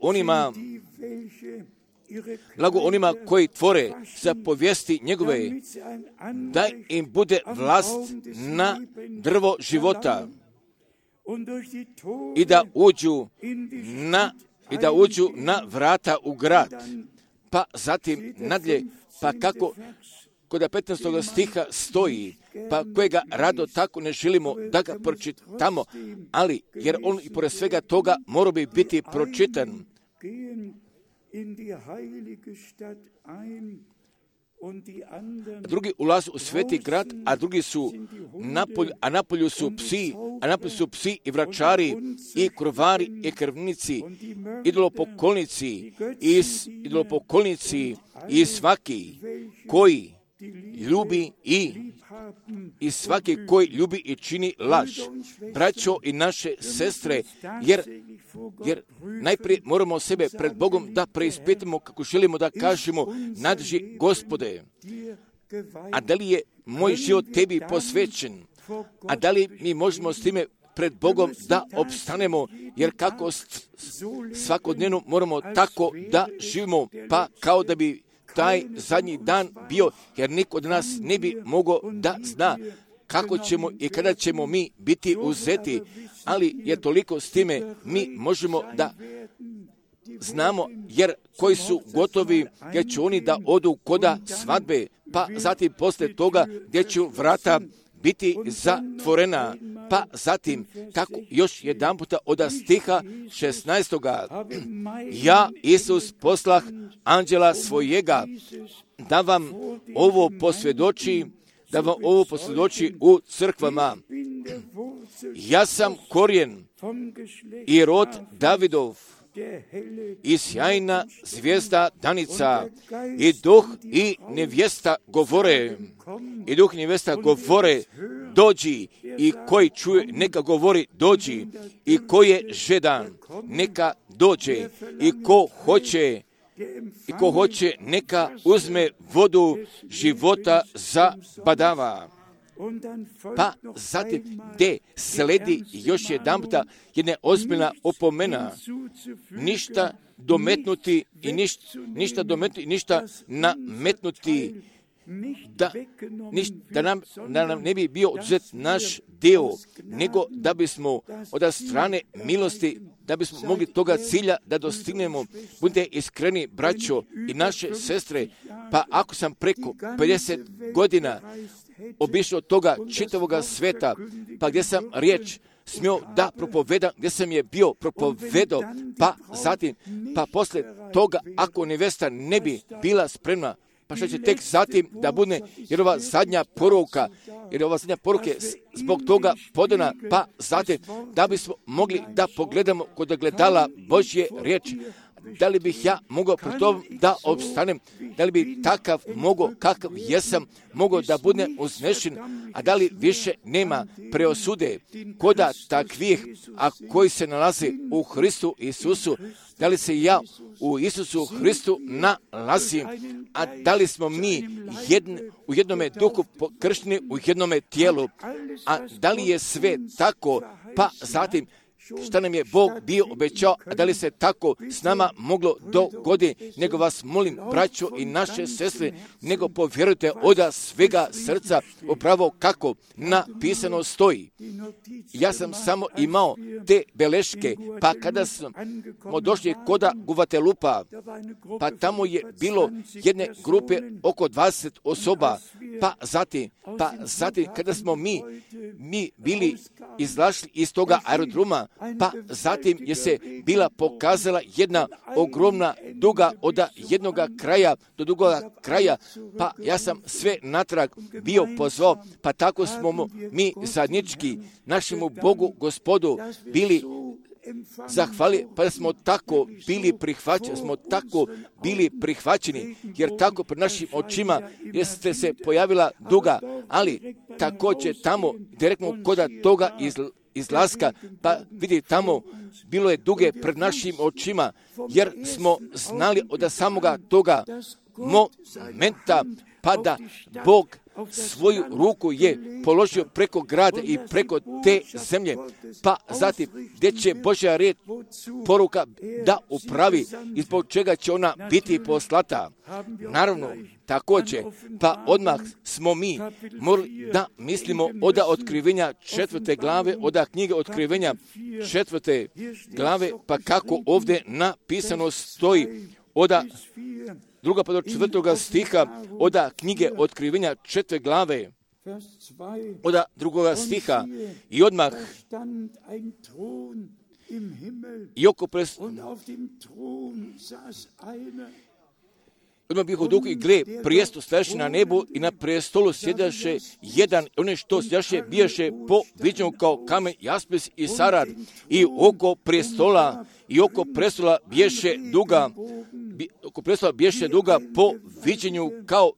[SPEAKER 1] onima koji tvore zapovijesti njegove, da im bude vlast na drvo života i da uđu na vrata u grad. Pa zatim nadalje, pa kako kod 15. stiha stoji, pa kojega rado tako ne želimo da ga pročitamo, ali jer on i pored svega toga mora bi biti pročitan. Drugi ulaze u sveti grad, a drugi su napolju su psi i vračari i krovari i krvnici, idolopokolnici i svaki koji ljubi i čini laž. Braćo i naše sestre, jer najprije moramo sebe pred Bogom da preispitamo kako želimo da kažemo, nadrži Gospode, a da li je moj život tebi posvećen, a da li mi možemo s time pred Bogom da opstanemo, jer kako svakodnevno moramo tako da živimo, pa kao da bi taj zadnji dan bio, jer niko od nas ne bi mogao da zna kako ćemo i kada ćemo mi biti uzeti, ali je toliko s time mi možemo da znamo, jer koji su gotovi, jer će oni da odu koda svadbe, pa zatim posle toga gdje će vrata biti zatvorena, pa zatim tako još jedan puta od stiha 16. Ja, Isus, poslah anđela svojega da vam ovo posvjedoči u crkvama. Ja sam korijen i rod Davidov i sjajna zvijezda danica, i duh i nevjesta govore, dođi, i koji čuje neka govori dođi, i ko je žedan neka dođe, i ko hoće neka uzme vodu života za badava. Pa zatim gdje sledi još jedan puta jedna ozbiljna opomena, ništa dometnuti i ništa nametnuti, da nam ne bi bio oduzet naš dio, nego da bismo od strane milosti, da bismo mogli toga cilja da dostignemo. Budite iskreni, braćo i naše sestre, pa ako sam preko 50 godina obišao toga čitavoga sveta, pa gdje sam riječ smio da propovedam, gdje sam je bio propovedao, pa zatim, pa posle toga, ako nevesta ne bi bila spremna, pa što će tek zatim da bude, jer ova zadnja poruka je zbog toga podana, pa zatim da bismo mogli da pogledamo kod gledala Božje riječi. Da li bih ja mogao pri tom da opstanem, da li bi takav mogao, kakav jesam, mogao da budem uznešen, a da li više nema preosude koda takvih, a koji se nalaze u Hristu Isusu, da li se ja u Isusu Hristu nalazim, a da li smo mi u jednome duhu kršteni, u jednome tijelu, a da li je sve tako, pa zatim šta nam je Bog bio obećao, a da li se tako s nama moglo dogoditi, nego vas molim, braćo i naše sestre, nego povjerujte od svega srca upravo kako napisano stoji. Ja sam samo imao te beleške, pa kada smo došli koda Guvatelupa, pa tamo je bilo jedne grupe oko 20 osoba, pa zatim kada smo mi bili izlašli iz toga aerodroma, pa zatim je se bila pokazala jedna ogromna duga od jednoga kraja do drugoga kraja, pa ja sam sve natrag bio pozvao, pa tako smo mi zajednički našemu Bogu Gospodu bili zahvalili, pa da smo tako bili prihvaćeni, jer tako pred našim očima jeste se pojavila duga, ali također tamo direktno koda toga izlaska, pa vidi tamo bilo je duge pred našim očima, jer smo znali od samoga toga momenta, pa da Bog svoju ruku je položio preko grada i preko te zemlje, pa zatim gdje će Božja riječ poruka da upravi i zbog čega će ona biti poslata. Naravno, također, pa odmah smo mi morali da mislimo od otkrivenja 4. glave, od knjige otkrivenja 4. glave, pa kako ovdje napisano stoji od 2. pa do 4. stiha od knjige otkrivenja 4. glave, od 2. stiha i odmah i oko odmah bih u duhu i gle, prijestol stojaše na nebu i na prijestolu sjedaše jedan, one što sjedaše bijaše po viđenju kao kamen jaspis i sarad i oko prijestola biješe duga po viđenju kao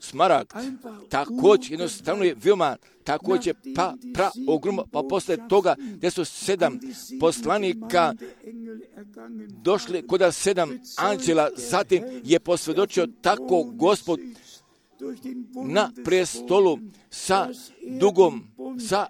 [SPEAKER 1] smaragd. Također jednostavno je veoma također ogromno, pa posle toga gdje su 7 poslanika došli kod 7 anđela, zatim je posvjedočio tako Gospod na prestolu sa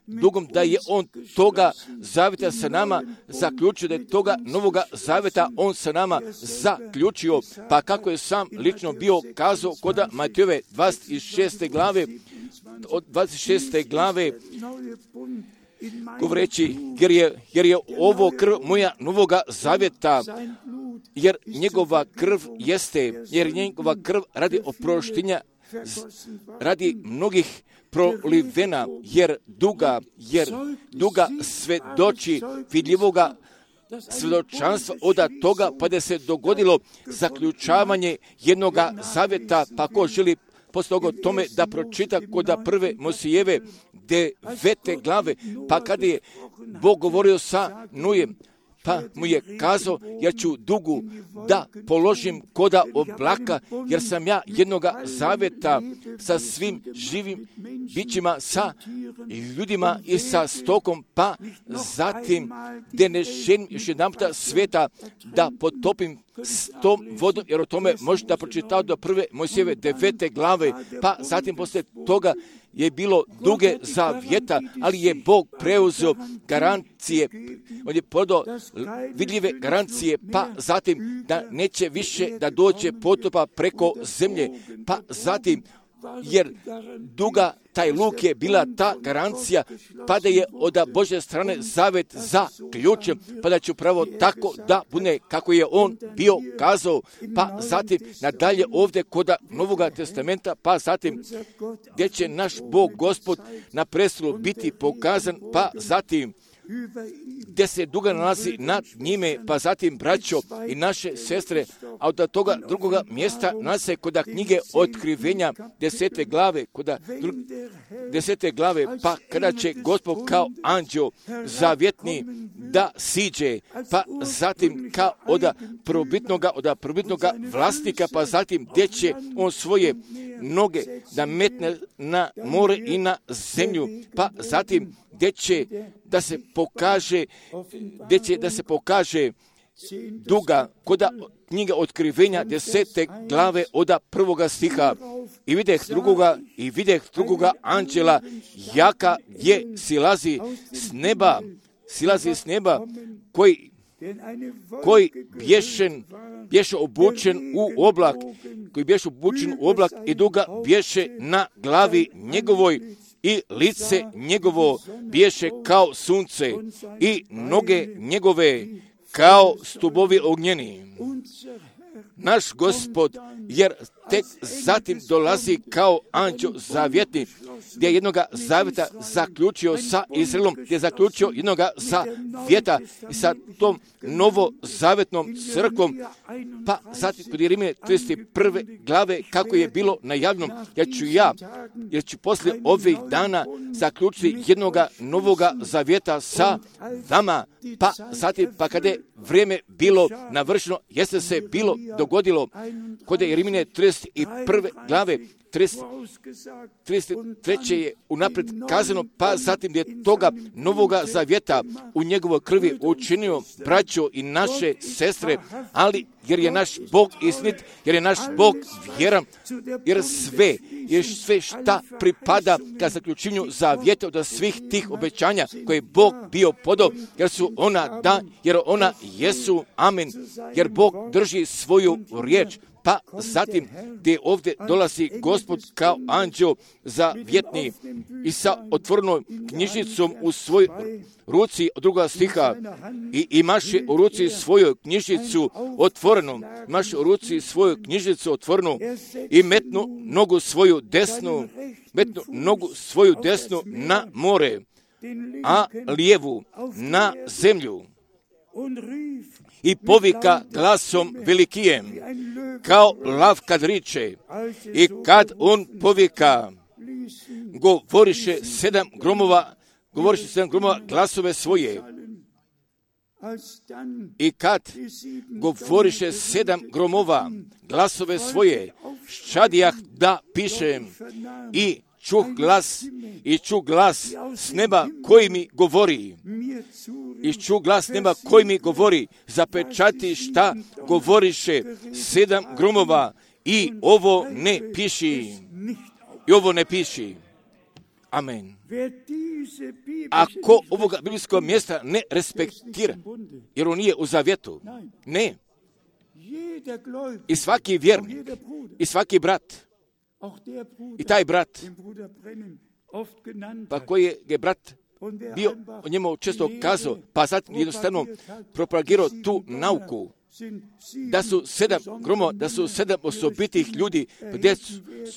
[SPEAKER 1] dugom da je on toga zavjeta sa nama zaključio, da je toga novoga zavjeta on sa nama zaključio, pa kako je sam lično bio kazao kod Matejove 26. glave, govoreći, jer je ovo krv moja novoga zavjeta, jer njegova krv radi oproštenja, radi mnogih prolivena, jer duga svedoči vidljivoga svjedočanstva od toga, pa da se dogodilo zaključavanje jednoga zavjeta, pa ko želi posle toga tome da pročita kod 1. Mojsijeve 9. glave, pa kada je Bog govorio sa Nojem, pa mu je kazao, ja ću dugu da položim koda oblaka, jer sam ja jednoga zavjeta sa svim živim bićima, sa ljudima i sa stokom, pa zatim gdje ne želim još jedan puta sveta da potopim s tom vodom, jer o tome možete da pročitati do 1. Mojsijeve 9. glave, pa zatim posle toga je bilo duge zavjeta, ali je Bog preuzeo garancije, on je podao vidljive garancije, pa zatim da neće više da dođe potopa preko zemlje, pa zatim jer duga taj luk je bila ta garancija, pa da je od Božje strane zavet zaključen, pa da će upravo tako da bude kako je on bio kazao, pa zatim nadalje ovdje kod Novoga testamenta, pa zatim gdje će naš Bog Gospod na prestolu biti pokazan, pa zatim gdje se duga nalazi nad njime, pa zatim braćo i naše sestre, a od toga drugoga mjesta nalaze kod knjige otkrivenja 10. glave, pa kada će Gospod kao anđeo zavjetni da siđe, pa zatim kao od prvobitnoga vlasnika, pa zatim gdje će on svoje noge da metne na more i na zemlju, pa zatim gdje će da se pokaže duga kod knjiga otkrivenja 10. glave od 1. stiha. I videh drugoga anđela jaka je silazi s neba, koji bješe obučen u oblak i duga bješe na glavi njegovoj i lice njegovo bješe kao sunce i noge njegove kao stubovi ognjeni. Naš Gospod, jer tek zatim dolazi kao anđeo zavjetni, gdje je jednoga zavjeta zaključio sa Izraelom, gdje je zaključio jednoga zavjeta i sa tom novozavjetnom crkvom, pa zatim kod Jeremije 31. glave kako je bilo najavljeno, jer ću poslije ovih dana zaključiti jednoga novoga zavjeta sa vama, pa zatim pa kada je vrijeme bilo navršeno, jeste se bilo dogodilo kod Jeremije 31. glave 33. je unaprijed kazano, pa zatim je toga novoga zavjeta u njegovoj krvi učinio braćo i naše sestre, ali jer je naš Bog istinit, jer je naš Bog vjeran, jer sve šta pripada ka zaključenju zavjeta od svih tih obećanja koje je Bog bio podao, jer su ona da, jer ona jesu, amen, jer Bog drži svoju riječ. Pa zatim gdje ovdje dolazi Gospod kao anđeo zavjetni i sa otvorenom knjižicom u svojoj ruci, od 2. stiha, i imaše u ruci svoju knjižicu otvorenu, imaše u ruci svoju knjižicu otvorenu i metnu nogu svoju desnu na more, a lijevu na zemlju. I povika glasom velikijem, kao lav kad riče, i kad on povika, govoriše 7 gromova glasove svoje. I kad govoriše 7 gromova glasove svoje, ščadijah da pišem, i čuh glas s neba koji mi govori. I čuh glas neba koji mi govori, zapečati šta govoriše 7 gromova i ovo ne piši. Amen. Ako ovoga biblijskog mjesta ne respektira, jer on nije u zavjetu, ne. I svaki vjernik, i svaki brat, i taj brat, pa koji je brat bio o njemu često kazao, pa zatim jednostavno propagirao tu nauku, da su 7 gromova, da su 7 osobitih ljudi, gdje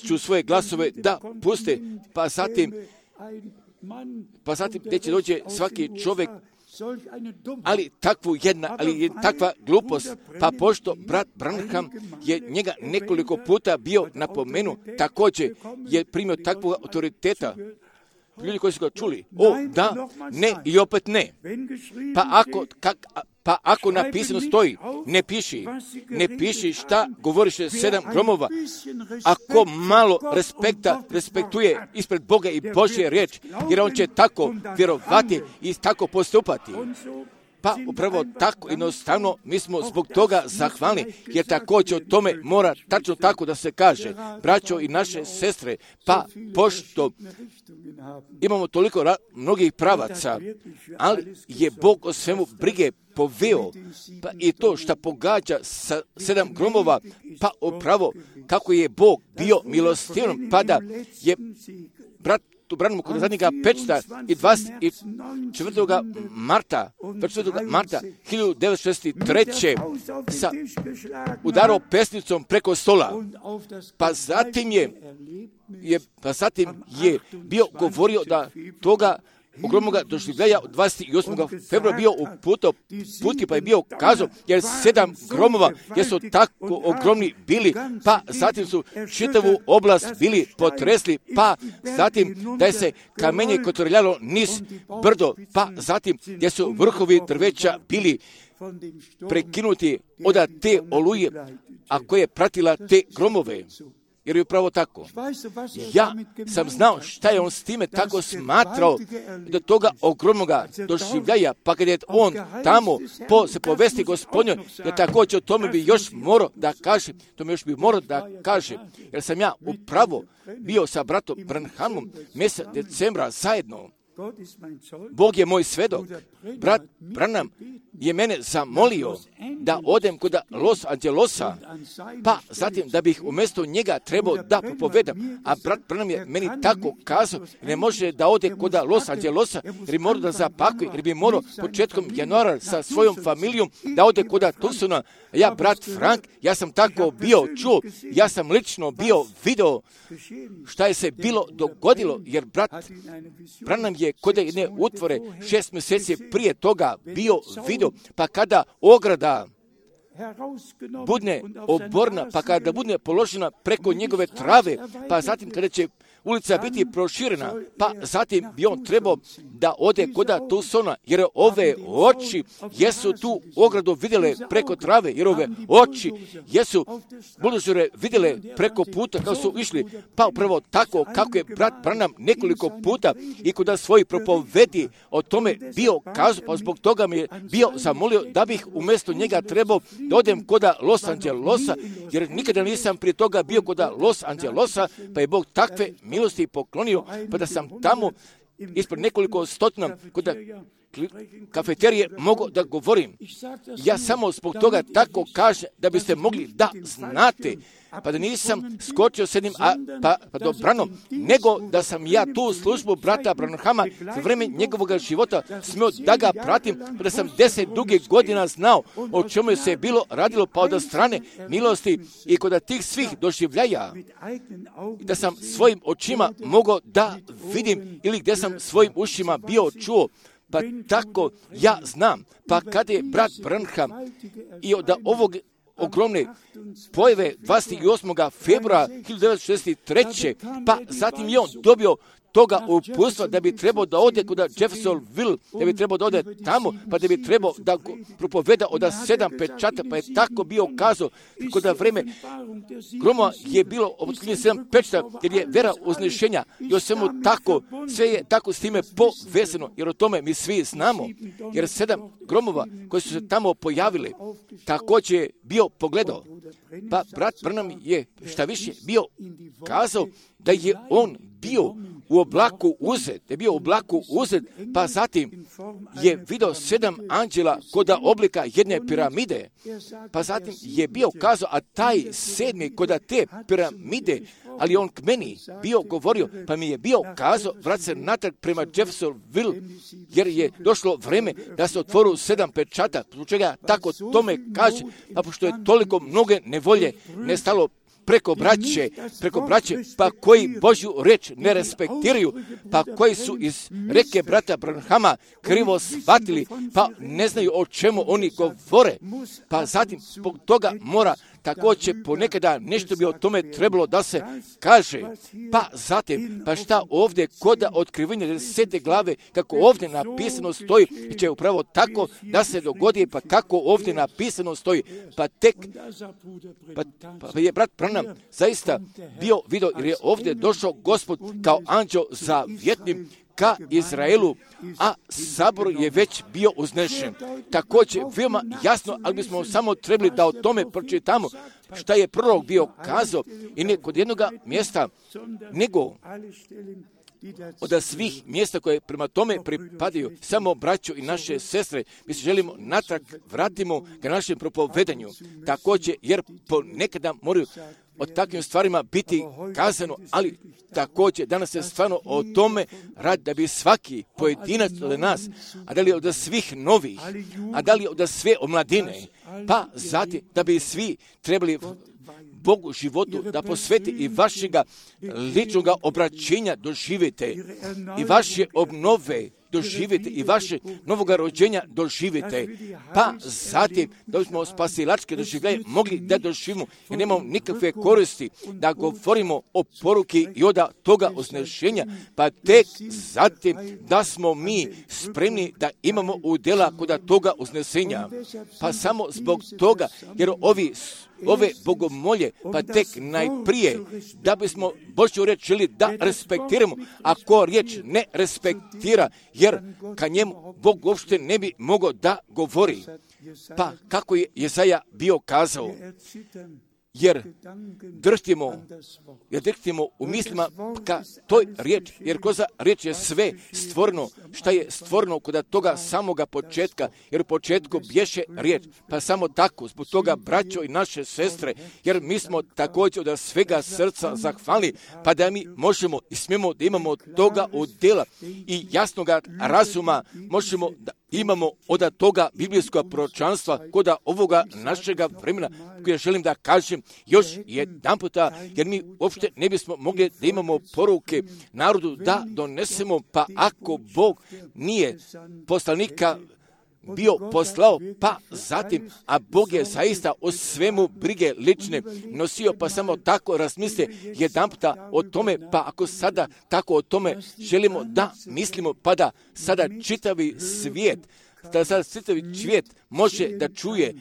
[SPEAKER 1] ću svoje glasove da puste, pa zatim gdje će dođe svaki čovjek, ali takva glupost, pa pošto brat Branham je njega nekoliko puta bio napomenu, također je primio takvog autoriteta, ljudi koji su ga čuli, da, ne i opet ne. Pa ako napisano stoji, ne piši šta govoriše 7 gromova. Ako malo respektuje ispred Boga i Božje riječ, jer on će tako vjerovati i tako postupati. Pa upravo tako jednostavno mi smo zbog toga zahvalni, jer također o tome mora tačno tako da se kaže, braćo i naše sestre, pa pošto imamo toliko mnogih pravaca, ali je Bog o svemu brige poveo, pa i to što pogađa sa 7 gromova, pa upravo kako je Bog bio milostivan, pa da je brat tu branimo kod zadnjega pečta i 24. marta 1963. udarao pesnicom preko stola. Pa zatim je bio govorio da toga ogromnoga doživljaja od 28. februara bio u puti, pa je bio kazao, jer 7 gromova, jer su tako ogromni bili, pa zatim su čitavu oblast bili potresli, pa zatim da je se kamenje kotrljalo niz brdo, pa zatim gdje su vrhovi drveća bili prekinuti od te oluje, a koja je pratila te gromove. Jer je upravo tako. Ja sam znao šta je on s time tako smatrao do toga ogromnoga doživljaja, pa kad je on tamo se povesti Gospodnjoj, jer također o tome bi još morao da kaže, jer sam ja upravo bio sa bratom Branhamom mjesec decembra zajedno. Bog je moj svedok. Brat Branham je mene zamolio da odem kod Los Angelosa, pa zatim da bih umjesto njega trebao da propovedam. A brat Branham je meni tako kazao, ne može da ode kod Los Angelosa, jer bi morao da zapakuje, jer bi morao početkom januara sa svojom familijom da ode kod Tucsona. Ja, brat Frank, ja sam tako bio čuo, ja sam lično bio video šta je se bilo dogodilo, jer brat Branham je kod jedne utvore 6 mjeseci prije toga bio video, pa kada ograda budne oborna, pa kada budne položena preko njegove trave, pa zatim kada će ulica biti proširena, pa zatim bi on trebao da ode kod Tucsona, jer ove oči jesu tu ogradu vidjele preko trave, jer ove oči jesu buldožere vidjele preko puta kako su išli, pa upravo tako kako je brat Branham nekoliko puta i kod svojih propovedi o tome bio kazao, pa zbog toga mi je bio zamolio da bih umjesto njega trebao da odem kod Los Angelosa, jer nikada nisam prije toga bio kod Los Angelosa, pa je Bog takve milosti poklonio, pa da sam tamo ispred nekoliko stotina kod kafeterije mogu da govorim. Ja samo zbog toga tako kažem da biste mogli da znate, pa da nisam skočio s jednim pa dobrano, nego da sam ja tu službu brata Branhama za vrijeme njegovog života smio da ga pratim, pa da sam 10 dugih godina znao o čemu je se bilo radilo, pa od strane milosti i kod tih svih doživljaja, da sam svojim očima mogao da vidim ili gdje sam svojim ušima bio čuo. Pa tako ja znam, pa kada je brat Branham i od ovog ogromne pojave 28. februara 1963. pa zatim je on dobio toga uputstva da bi trebao da ode kod Jeffersonville, da bi trebao da ode tamo, pa da bi trebao da propoveda od 7 pečata, pa je tako bio kazao kod vreme gromova je bilo otkrivenje 7 pečata, jer je vera uznešenja i o svemu tako, sve je tako s time povezano, jer o tome mi svi znamo, jer 7 gromova koji su se tamo pojavili, također je bio pogledao. Pa brat Branham je šta više bio kazao da je on bio u oblaku uzet, pa zatim je vidio 7 anđela kod oblika jedne piramide, pa zatim je bio kazao, a taj 7. kod te piramide, ali on k meni bio govorio, pa mi je bio kazao, vrat se natrag prema Jeffersonville, jer je došlo vreme da se otvoru 7 pečata, zbog čega tako tome kaže, pa pošto je toliko mnoge nevolje nestalo preko braće, pa koji Božju reč ne respektiraju, pa koji su iz reke brata Branhama krivo shvatili, pa ne znaju o čemu oni govore, pa zatim zbog toga mora također ponekada nešto bi o tome trebalo da se kaže, pa zatim, pa šta ovdje kod otkrivenja 10. glave, kako ovdje napisano stoji, će upravo tako da se dogodi, pa kako ovdje napisano stoji, pa tek, pa je brat Branham zaista bio vidio, jer je ovdje došao Gospod kao anđeo zavjetnim ka Izraelu, a sabor je već bio uznešen. Također, veoma jasno, ali bismo samo trebali da o tome pročitamo šta je prorok bio kazao i ne kod jednog mjesta, nego od svih mjesta koje prema tome pripadaju, samo braćo i naše sestre, mi se želimo natrag vratimo ka našem propovedanju. Također, jer ponekada moraju o takvim stvarima biti kazano, ali također danas se stvarno o tome radi da bi svaki pojedinac od nas, a da li od svih novih, a da li od sve omladine, pa zatim da bi svi trebali Bogu životu da posveti i vašega ličnog obraćenja doživite i vaše obnove doživite i vaše novoga rođenja doživite, pa zatim da bismo spasilačke doživljaje mogli da doživimo i nemamo nikakve koristi da govorimo o poruki i od toga uznešenja, pa tek zatim da smo mi spremni da imamo udjela kod toga uznesenja, pa samo zbog toga, jer ove bogomolje, pa tek najprije da bismo Božju riječ želi da respektiramo, ako riječ ne respektira, jer ka njemu Bog uopšte ne bi mogao da govori. Pa kako je Jesaja bio kazao, jer drhtimo u mislima ka toj riječi, jer kroz riječ je sve stvoreno, šta je stvoreno kod toga samoga početka, jer u početku bješe riječ, pa samo tako, zbog toga, braćo i naše sestre, jer mi smo također od svega srca zahvalni, pa da mi možemo i smijemo da imamo toga udjela i jasnoga razuma, možemo da imamo od toga biblijskog proročanstva kod ovoga našega vremena, koje želim da kažem još jedan puta, jer mi uopšte ne bismo mogli da imamo poruke narodu da donesemo, pa ako Bog nije poslanika bio poslao, pa zatim, a Bog je zaista o svemu brige lične nosio, pa samo tako razmisle jedan puta o tome, pa ako sada tako o tome želimo da mislimo, pa da sada čitavi svijet može da čuje,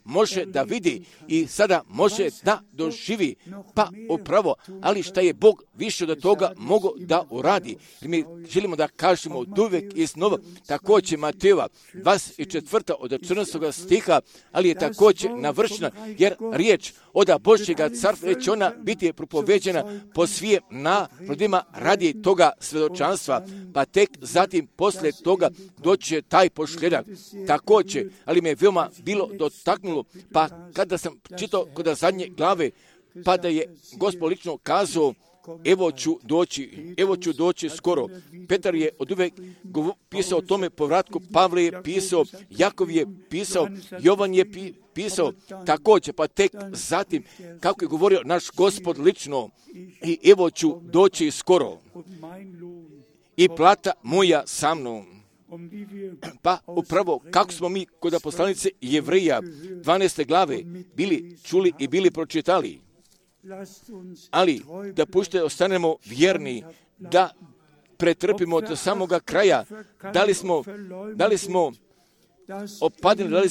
[SPEAKER 1] može da vidi i sada može da doživi, pa upravo, ali šta je Bog više od toga mogao da uradi. Jer mi želimo da kažemo od uvijek i znova, također Matejeva 24. od 14. stiha, ali je također navršena, jer riječ od Božjega carstva će ona biti propoveđena po svim narodima radi toga svjedočanstva, pa tek zatim poslije toga doće taj posljedak. Također, ali me veoma bilo dotaknulo, pa kada sam čitao kod zadnje glave, pa da je Gospod lično kazao, evo ću doći skoro. Petar je od uvijek pisao o tome povratku, Pavle je pisao, Jakov je pisao, Jovan je pisao, također, pa tek zatim, kako je govorio naš Gospod lično, i evo ću doći skoro. I plata moja sa mnom. Pa upravo kako smo mi kod poslanice Jevrija 12. glave bili čuli i bili pročitali, ali da pušte ostanemo vjerni, da pretrpimo do samoga kraja, da li smo opadili,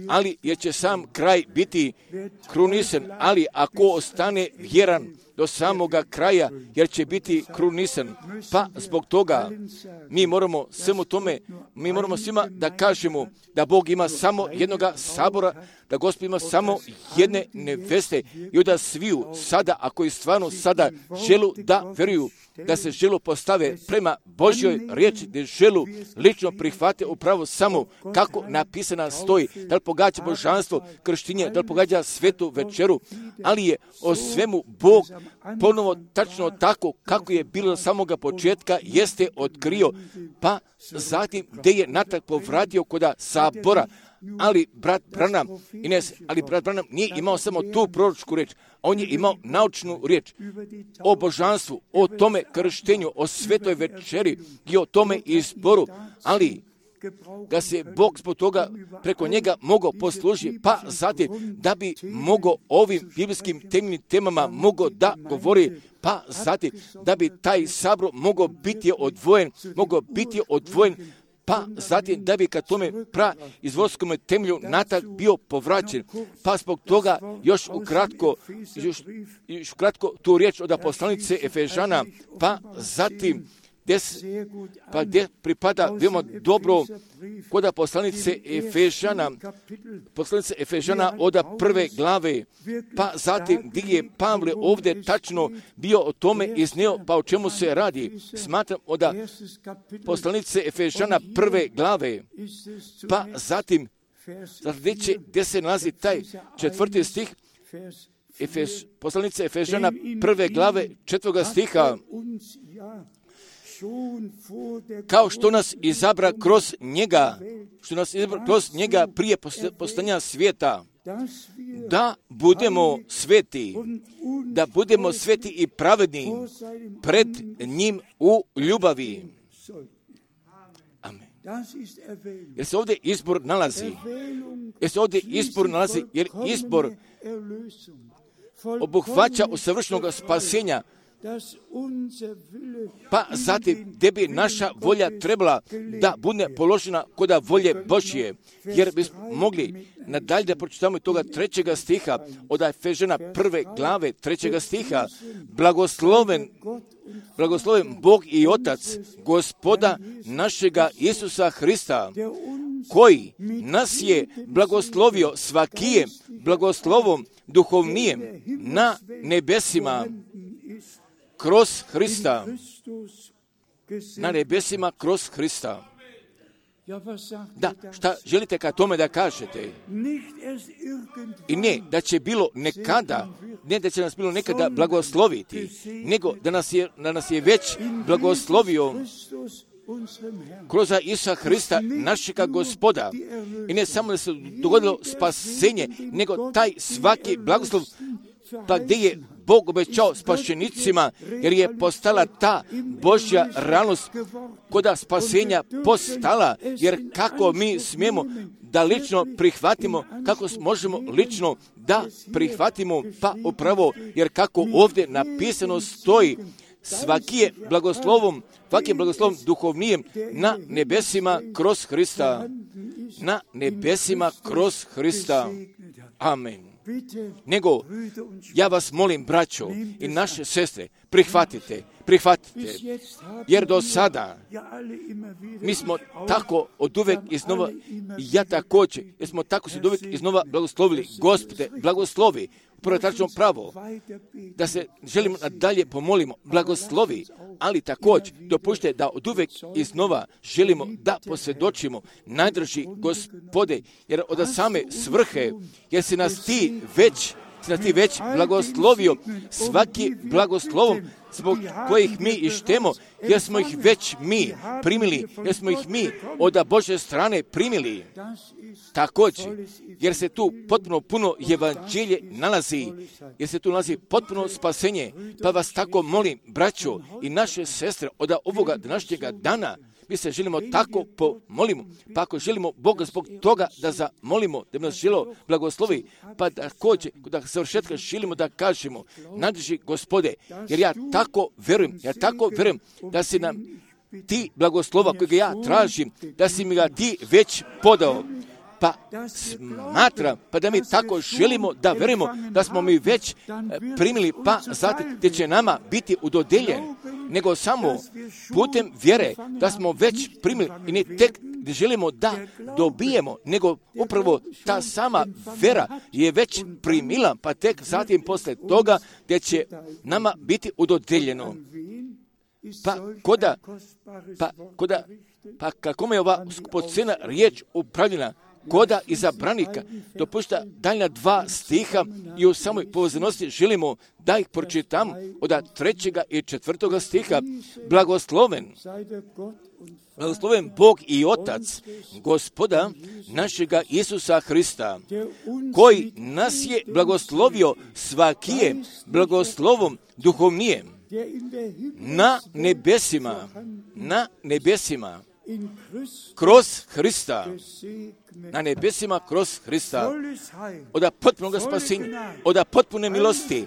[SPEAKER 1] ali jer će sam kraj biti krunisan, ali ako ostane vjeran do samoga kraja, jer će biti krunisan. Pa zbog toga mi moramo svima da kažemo da Bog ima samo jednoga sabora, da Gospod ima samo jedne neveste i da sviju sada, ako i stvarno sada želu da vjeruju, da se želu postave prema Božjoj riječi, da želu lično prihvate upravo samo kako napisana stoji, da li pogađa božanstvo krštinje, da li pogađa svetu večeru, ali je o svemu Bog ponovo tačno tako kako je bilo od samoga početka jeste otkrio, pa zatim gdje je natrag povratio kod sabora. Ali brat Branham nije imao samo tu proročku riječ, on je imao naučnu riječ o božanstvu, o tome krštenju, o svetoj večeri i o tome izboru, ali da se Bog zbog toga preko njega mogao poslužiti, pa zatim da bi mogao ovim biblijskim temeljnim temama mogao da govori, pa zatim da bi taj sabor mogao biti odvojen, pa zatim da bi ka tome izvorskom temelju natrag bio povraćen. Pa zbog toga još ukratko tu riječ od poslanice Efežana, pa zatim gdje pripada veoma dobro kod poslanice Efežana od prve glave, pa zatim gdje je Pavle ovdje tačno bio o tome iznio, pa o čemu se radi. Smatram od poslanice Efežana prve glave, pa zatim gdje se nalazi taj 4. stih, poslanice Efežana prve glave 4. stiha, kao što nas izabra kroz njega prije postojanja svijeta, da budemo sveti i pravedni pred njim u ljubavi. Amen. Jer se ovdje izbor nalazi, jer izbor obuhvaća usavršenog spasenja, pa zatim gdje bi naša volja trebala da bude položena kod volje Božje, jer bismo mogli nadalje da pročitamo toga 3. stiha od Efežana 1. glave 3. stiha, blagosloven Bog i Otac Gospoda našega Isusa Hrista, koji nas je blagoslovio svakijem blagoslovom duhovnijem na nebesima kroz Hrista. Na nebesima kroz Hrista. Da, šta želite ka tome da kažete? I ne da će bilo nekada, ne da će nas bilo nekada blagosloviti, nego da nas je već blagoslovio kroz Isusa Hrista, našega Gospoda. I ne samo da se dogodilo spasenje, nego taj svaki blagoslov, pa gdje je Bog obećao spašenicima, jer je postala ta Božja realnost koda spasenja postala, jer kako mi smijemo da lično prihvatimo, kako možemo lično da prihvatimo, pa upravo, jer kako ovdje napisano stoji, svaki je blagoslovom duhovnijem na nebesima kroz Hrista. Na nebesima kroz Hrista. Amen. Nego, ja vas molim, braćo i naše sestre, prihvatite, jer do sada mi smo tako oduvek iznova, i ja također, jer smo tako se oduvek iznova blagoslovili. Gospode, blagoslovi, upravo tačno pravo, da se želimo nadalje pomolimo, blagoslovi, ali također dopušte da oduvek iznova želimo da posvjedočimo najdrži Gospode, jer od same svrhe, jer si nas ti već blagoslovio svaki blagoslovom zbog kojih mi ištemo, jer smo ih već mi primili, jer smo ih mi od Božje strane primili. Također, jer se tu potpuno puno evanđelje nalazi, jer se tu nalazi potpuno spasenje, pa vas tako molim, braćo i naše sestre, od ovoga današnjega dana, mi se želimo tako pomolimo, pa ako želimo Boga zbog toga da zamolimo, da bi nas želo blagoslovi, pa također, da završetka želimo da kažemo, nadrži Gospode, jer ja tako verujem da si nam ti blagoslova kojega ja tražim, da si mi ga ti već podao. Pa smatram, pa da mi tako želimo da verujemo da smo mi već primili, pa zatim gdje će nama biti udodeljen, nego samo putem vjere da smo već primili i ne tek gdje želimo da dobijemo, nego upravo ta sama vera je već primila, pa tek zatim poslije toga gdje će nama biti udodeljeno. Pa kako je ova skupocena riječ upravljena, koda izabranika, dopušta daljna 2 stiha i u samoj povezanosti želimo da ih pročitam od 3. i 4. stiha. Blagosloven Bog i Otac Gospoda našega Isusa Hrista, koji nas je blagoslovio svakijem blagoslovom duhovnijem na nebesima kroz Hrista, na nebesima kroz Hrista, od potpunog spasenja, od potpune milosti,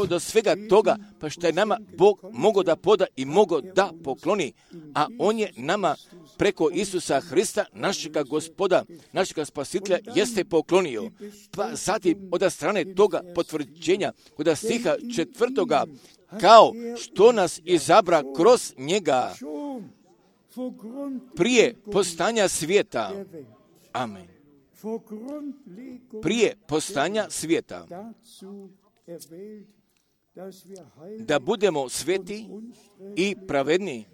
[SPEAKER 1] do svega toga, pa što je nama Bog mogao da poda i mogao da pokloni, a On je nama preko Isusa Hrista, našega Gospoda, našega Spasitelja, jeste poklonio. Pa zatim, od strane toga potvrđenja, od stiha 4. kao što nas izabra kroz njega, prije postanja svijeta. Amen. Prije postanja svijeta. Da budemo sveti i pravedni.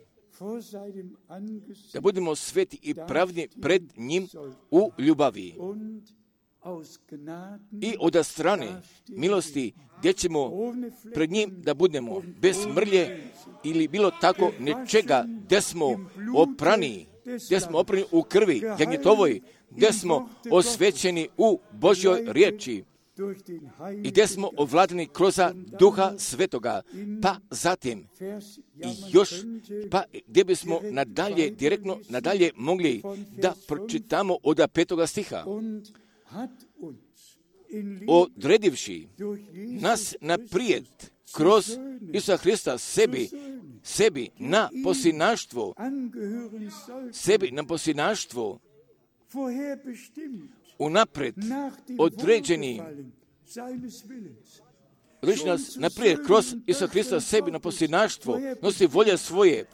[SPEAKER 1] Da budemo sveti i pravedni pred njim u ljubavi. I od strane milosti gdje ćemo pred njim da budemo bez mrlje ili bilo tako nečega, gdje smo oprani u krvi jagnjetovoj, gdje smo osvećeni u Božjoj riječi i gdje smo ovladani kroz Duha Svetoga. Pa zatim još, pa gdje bismo nadalje mogli da pročitamo od 5. stiha. Odredivši nas naprijed kroz Isusa Hrista sebi na posinaštvo unapred određeni određuje nas naprijed kroz Isusa Krista sebi na posljednaštvo, nosi volje svoje,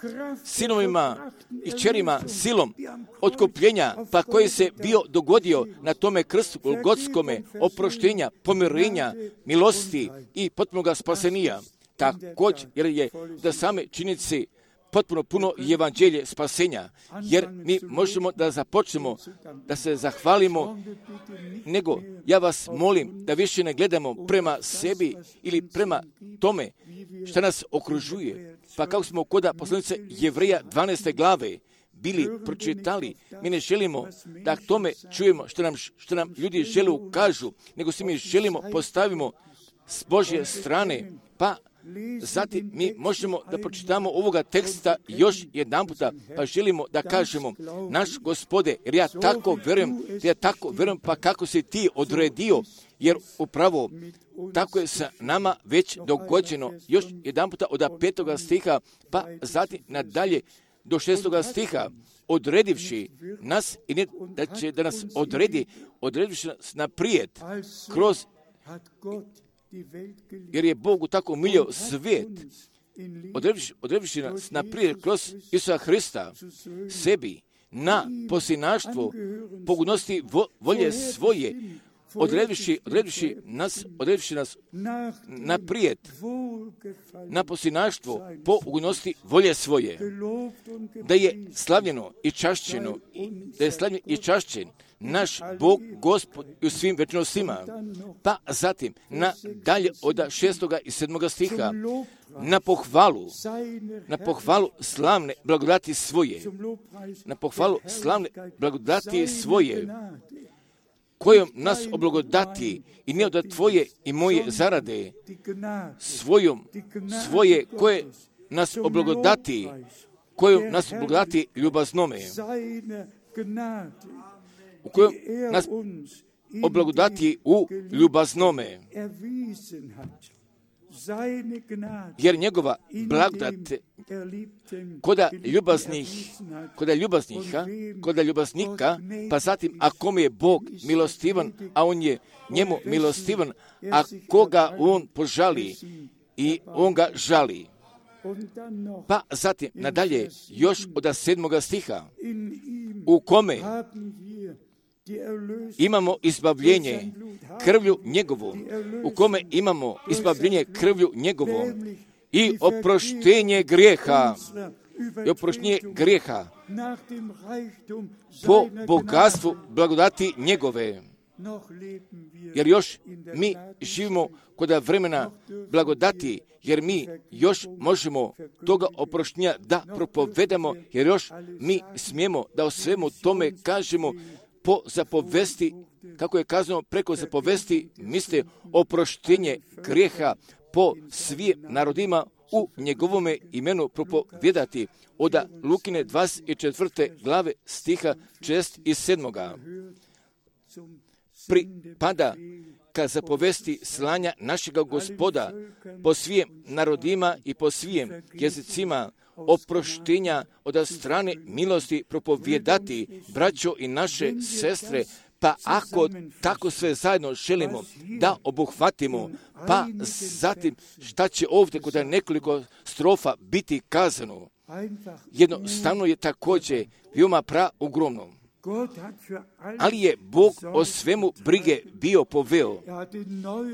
[SPEAKER 1] sinovima i kćerima silom otkupljenja, pa koji se bio dogodio na tome krstu golgotskome, oproštenja, pomirenja, milosti i potpunoga spasenija. Također, jer je da same činjenice potpuno puno evanđelje spasenja, jer mi možemo da započnemo, da se zahvalimo, nego ja vas molim da više ne gledamo prema sebi ili prema tome što nas okružuje. Pa kako smo kod poslanice Jevreja 12. glave bili pročitali, mi ne želimo da tome čujemo što nam ljudi žele kažu, nego se mi želimo postavimo s Božje strane, pa zatim mi možemo da pročitamo ovoga teksta još jedan puta, pa želimo da kažemo, naš Gospode, jer ja tako vjerujem, pa kako si ti odredio, jer upravo tako je sa nama već dogođeno. Još jedan puta od 5. stiha, pa zatim nadalje do 6. stiha, odredivši nas, i ne da će da nas odredivši nas naprijed kroz, jer je Bogu tako milio svijet, odredivši nas naprijed kroz Isusa Hrista sebi na posljednaštvo pogodnosti volje svoje, odredivši nas naprijed na posljednaštvo po ugodnosti volje svoje, da je slavljeno i čašćeno, naš Bog, Gospod i u svim večnostima. Pa zatim, dalje od 6. i 7. stiha, na pohvalu slavne blagodati svoje, kojom nas oblagodati i ne od tvoje i moje zarade, svoje koje nas oblagodati, ljubaznome, u kojom nas oblagodati u ljubaznome, jer njegova blagodat koda ljubaznika, pa zatim ako mu je Bog milostivan, a on je njemu milostivan, a koga on požali i on ga žali. Pa zatim nadalje još od 7. stiha, u kome imamo izbavljenje krvlju njegovom, i oproštenje grijeha, po bogatstvu blagodati njegove. Jer još mi živimo kod vremena blagodati, jer mi još možemo toga oproštenja da propovedamo, jer još mi smijemo da o svemu tome kažemo po zapovesti, kako je kazano preko zapovesti, misle oproštenje grijeha po svim narodima u njegovome imenu propovedati, od Lukine 24. glave stiha 6. i 7. Pripada ka zapovesti slanja našega Gospoda po svim narodima i po svim jezicima, oproštenja od strane milosti propovedati, braćo i naše sestre. Pa ako tako sve zajedno želimo da obuhvatimo, pa zatim šta će ovdje kod nekoliko strofa biti kazano, jednostavno je također veoma ogromno. Ali je Bog o svemu brige bio poveo,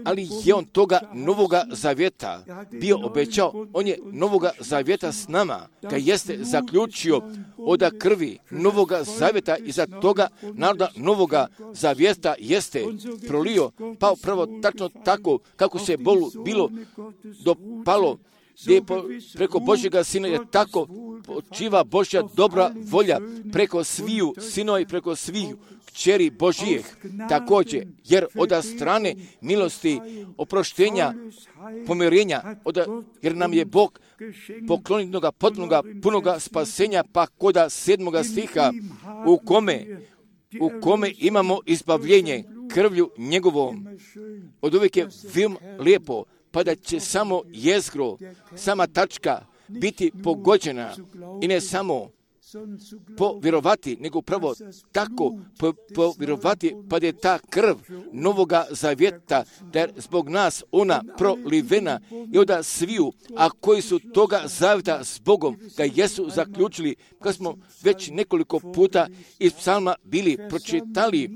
[SPEAKER 1] ali je on toga novoga zavjeta bio obećao, on je novoga zavjeta s nama, ga jeste zaključio od krvi novoga zavjeta i za toga naroda novoga zavjeta jeste prolio, pa upravo tačno tako kako se bilo dopalo, gdje je preko Božjega Sina je tako počiva Božja dobra volja preko sviju sinova i preko sviju kćeri Božijeh. Također, jer od strane milosti, oproštenja, pomirenja, jer nam je Bog poklonitnoga, potpunoga, punoga spasenja, pa kod 7. stiha, u kome imamo izbavljenje krvlju njegovom. Od uvijek je film lijepo, pa da će samo jezgro, sama tačka biti pogođena i ne samo povjerovati, nego upravo tako povjerovati, pa da je ta krv Novoga Zavjeta, da je zbog nas ona prolivena i onda sviju, a koji su toga zavjeta s Bogom, ga jesu zaključili, kad smo već nekoliko puta iz psalma bili pročitali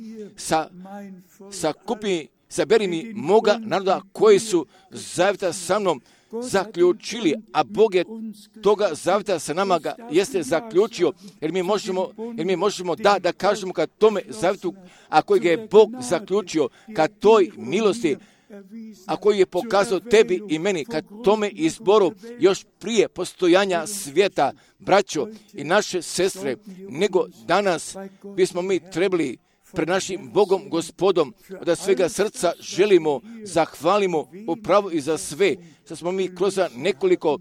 [SPEAKER 1] saberi mi moga naroda koji su zavjeta sa mnom zaključili, a Bog je toga zavjeta sa nama ga jeste zaključio, jer mi možemo da kažemo kad tome zavjetu, a koji ga je Bog zaključio, kad toj milosti, a koji je pokazao tebi i meni, kad tome izboru još prije postojanja svijeta, braćo i naše sestre, nego danas bismo mi trebali pred našim Bogom, Gospodom, da svega srca želimo, zahvalimo upravo i za sve, što smo mi kroz nekoliko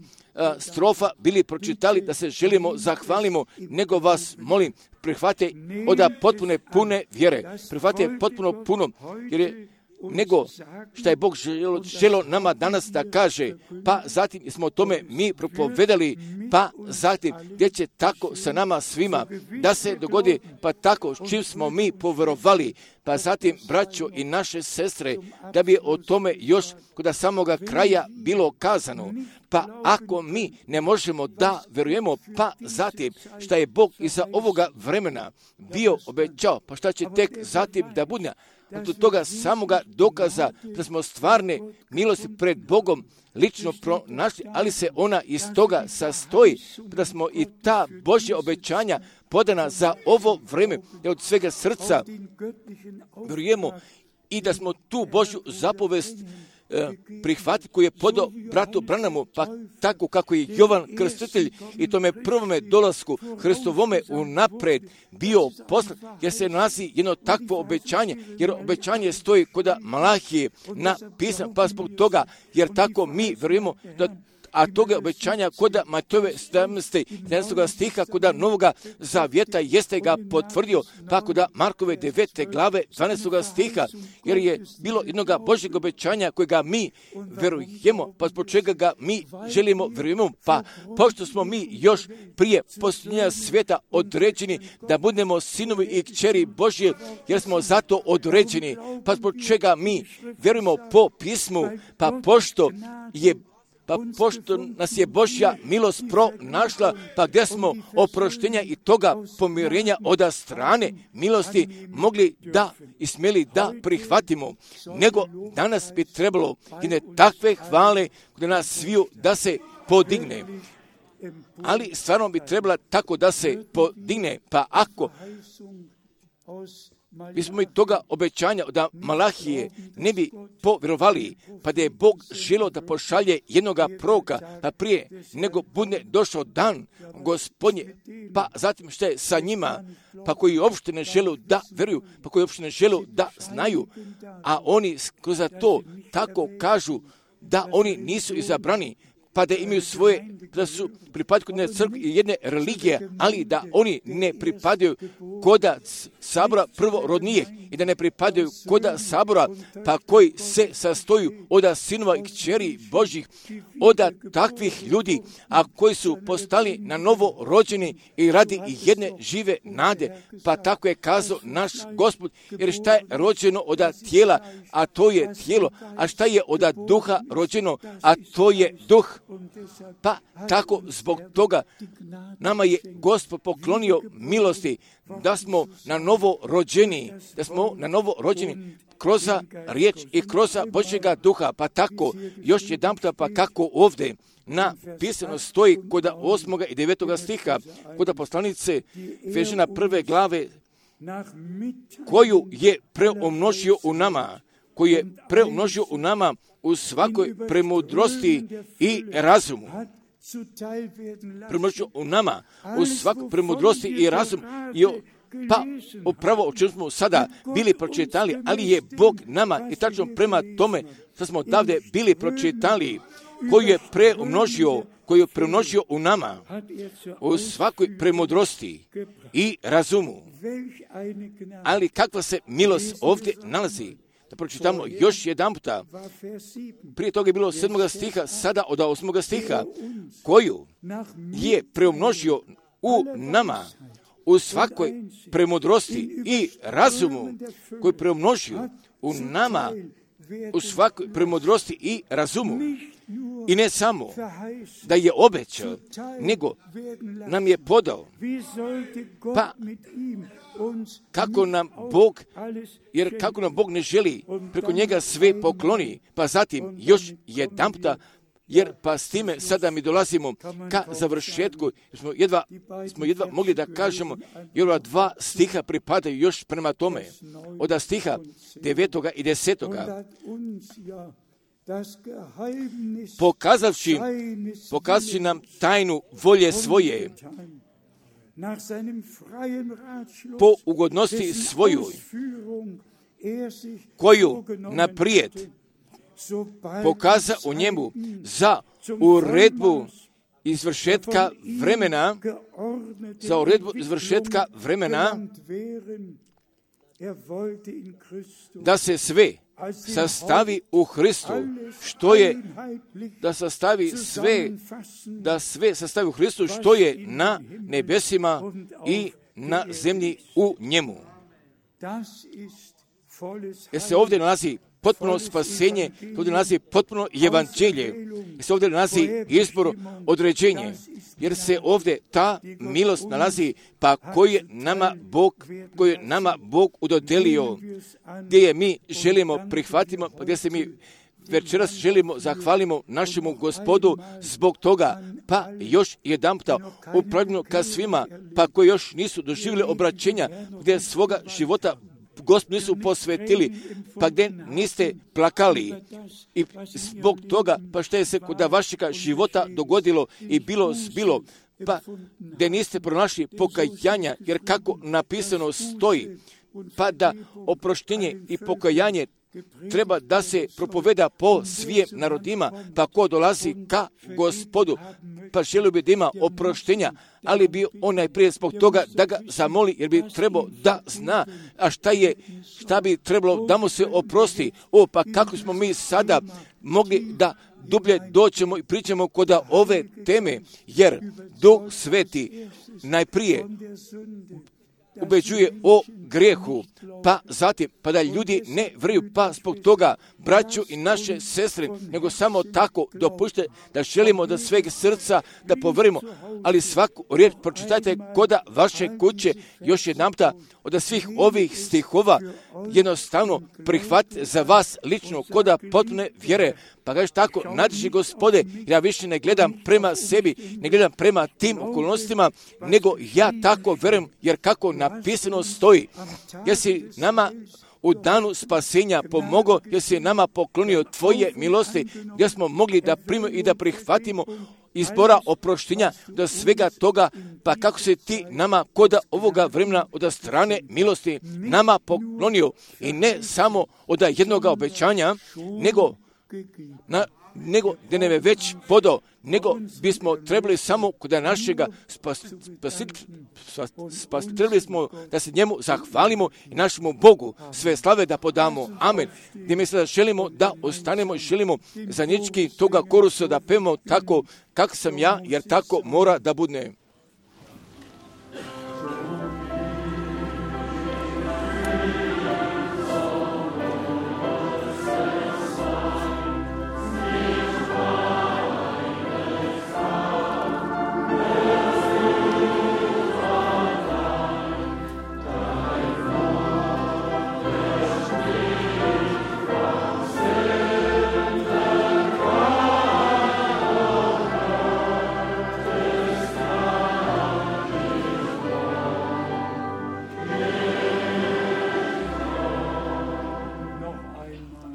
[SPEAKER 1] strofa bili pročitali, da se želimo, zahvalimo, nego vas molim, prihvate od potpune pune vjere, prihvate potpuno puno, jer je nego što je Bog želio nama danas da kaže, pa zatim smo o tome mi propovedali, pa zatim gdje će tako sa nama svima da se dogodi, pa tako s čim smo mi povjerovali, pa zatim braćo i naše sestre, da bi o tome još kod samoga kraja bilo kazano. Pa ako mi ne možemo da vjerujemo, pa zatim šta je Bog iza ovoga vremena bio obećao, pa šta će tek zatim da bude, od toga samoga dokaza da smo stvarne milosti pred Bogom lično pronašli, ali se ona iz toga sastoji, da smo i ta Božja obećanja podana za ovo vrijeme, da od svega srca vjerujemo i da smo tu Božju zapovest prihvatiti koji je podao bratu Branamu, pa tako kako je Jovan Krstitelj i tome prvome dolasku Hristovome unaprijed bio poslan, jer se nalazi jedno takvo obećanje, jer obećanje stoji kod Malahije napisano, pa zbog toga, jer tako mi vjerujemo da a toga obećanja kod Matejove 17. stiha, kod Novoga Zavjeta jeste ga potvrdio, pa kod Markove 9. glave 12. stiha, jer je bilo jednoga Božjeg obećanja kojega mi verujemo, pa zbog čega ga mi želimo vjerujemo, pa pošto smo mi još prije posljednja svijeta određeni da budemo sinovi i kćeri Božje, jer smo zato određeni, pa zbog čega mi vjerujemo po pismu, pa pošto nas je Božja milost pronašla, pa gdje smo oproštenja i toga pomirenja od strane milosti mogli da i smjeli da prihvatimo, nego danas bi trebalo jedne takve hvale kod nas sviju da se podigne. Ali stvarno bi trebala tako da se podigne, pa ako bismo i toga obećanja od Malahije ne bi povjerovali, pa da je Bog želio da pošalje jednoga proroka, pa prije nego bude došao dan Gospodnje, pa zatim što je sa njima, pa koji uopšte ne žele da vjeruju, pa koji uopšte ne žele da znaju, a oni kroz to tako kažu da oni nisu izabrani, pa da imaju svoje, da su pripadaju kod jedne crkve i jedne religije, ali da oni ne pripadaju koda sabora prvorodnijih i da ne pripadaju koda sabora, pa koji se sastoju od sinova i kćeri Božjih, od takvih ljudi, a koji su postali na novo rođeni i radi jedne žive nade, pa tako je kazao naš Gospod, jer šta je rođeno od tijela, a to je tijelo, a šta je od duha rođeno, a to je duh. Pa tako zbog toga nama je Gospod poklonio milosti da smo na novo rođeni, kroz riječ i kroz Božjega duha, pa tako još jedan puta, pa kako ovdje napisano stoji kod 8. i 9. stiha, kod poslanice Efežana 1. glave, koju je preumnožio u nama, u svakoj premudrosti i razumu. Premudrosti u nama, u svakoj premudrosti i razumu. Pa upravo o čemu smo sada bili pročitali, ali je Bog nama i tačno prema tome što smo davde bili pročitali, koju je preumnožio u nama, u svakoj premudrosti i razumu. Ali kakva se milost ovdje nalazi? Da pročitamo još jedan puta. Prije toga je bilo 7. stiha, sada od 8. stiha, koju je preumnožio
[SPEAKER 2] u nama, u svakoj premudrosti i razumu koji preumnožio u nama, u svakoj premudrosti i razumu. I ne samo da je obećao, nego nam je podao. Pa kako nam Bog, jer kako nam Bog ne želi preko njega sve pokloni, pa zatim još jedanputa, jer pa s time sada mi dolazimo ka završetku, smo jedva mogli da kažemo, jer ova 2 stiha pripadaju još prema tome, od stiha 9. i 10. Pokazavši nam tajnu volje svoje, po ugodnosti svojoj, koju naprijed pokaza u njemu za uredbu izvršetka vremena, da se sve sastavi u Hristu, da sve sastavi u Hristu, što je na nebesima i na zemlji u njemu. Jer se ovdje nalazi potpuno spasenje, ovdje nalazi potpuno evanđelje, jer se ovdje nalazi izbor, određenje, jer se ovdje ta milost nalazi, pa koju je nama Bog udodelio, gdje je mi želimo prihvatimo, pa gdje se mi večeras želimo zahvalimo našemu Gospodu zbog toga, pa još jedanputa upravljeno ka svima, pa koji još nisu doživjeli obraćenja, gdje svoga života Gospod nisu posvetili, pa gdje niste plakali i zbog toga, pa što je se kod vašega života dogodilo i bilo zbilo, pa gdje niste pronašli pokajanja, jer kako napisano stoji, pa da oproštenje i pokajanje treba da se propoveda po svim narodima, pa ko dolazi ka Gospodu, pa želio bi da ima oproštenja, ali bi on najprije zbog toga da ga zamoli, jer bi trebao da zna, a šta bi trebalo da mu se oprosti. Pa kako smo mi sada mogli da dublje doćemo i pričamo kod ove teme, jer Duh Sveti najprije ubeđuje o grijehu, pa zatim, pa da ljudi ne vjeruju, pa zbog toga braću i naše sestre, nego samo tako dopušte da želimo da sveg srca da povrimo, ali svaku riječ pročitajte koda vaše kuće još jedanputa od svih ovih stihova, jednostavno prihvatite za vas lično koda potpune vjere, pa kažeš tako, nadješi Gospode, ja više ne gledam prema sebi, ne gledam prema tim okolnostima, nego ja tako vjerujem, jer kako napisano stoji, jer si nama u danu spasenja pomogao, jer si nama poklonio tvoje milosti, gdje smo mogli da primimo i da prihvatimo izbora oproštenja do svega toga, pa kako se ti nama koda ovoga vremena od strane milosti nama poklonio i ne samo od jednoga obećanja, nego da nam je već podao, nego bismo trebali samo kod našega trebali smo da se njemu zahvalimo i našemu Bogu sve slave da podamo. Amen. Gdje mi sada želimo da ostanemo i želimo zajednički toga korusa da pevamo tako kako sam ja, jer tako mora da bude.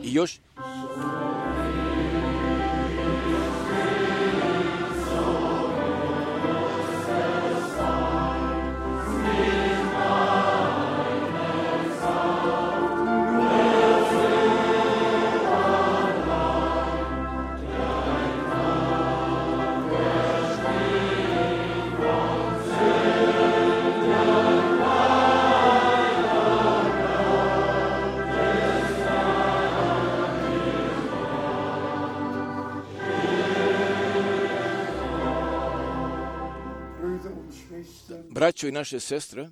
[SPEAKER 2] I još
[SPEAKER 1] Braćo i naše sestre,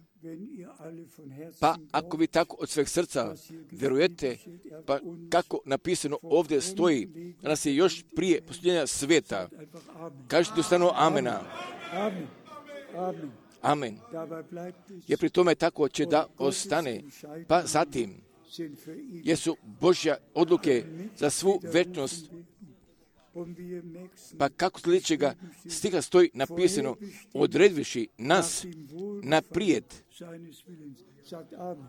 [SPEAKER 1] pa ako vi tako od sveg srca vjerujete, pa kako napisano ovdje stoji, da nas je još prije posljednja svijeta, kažete ustano amena. Amen. Jer pri tome tako će da ostane. Pa zatim, jesu Božja odluke za svu večnost. Pa kako sljedećega stiha stoji napisano, odredviši nas naprijed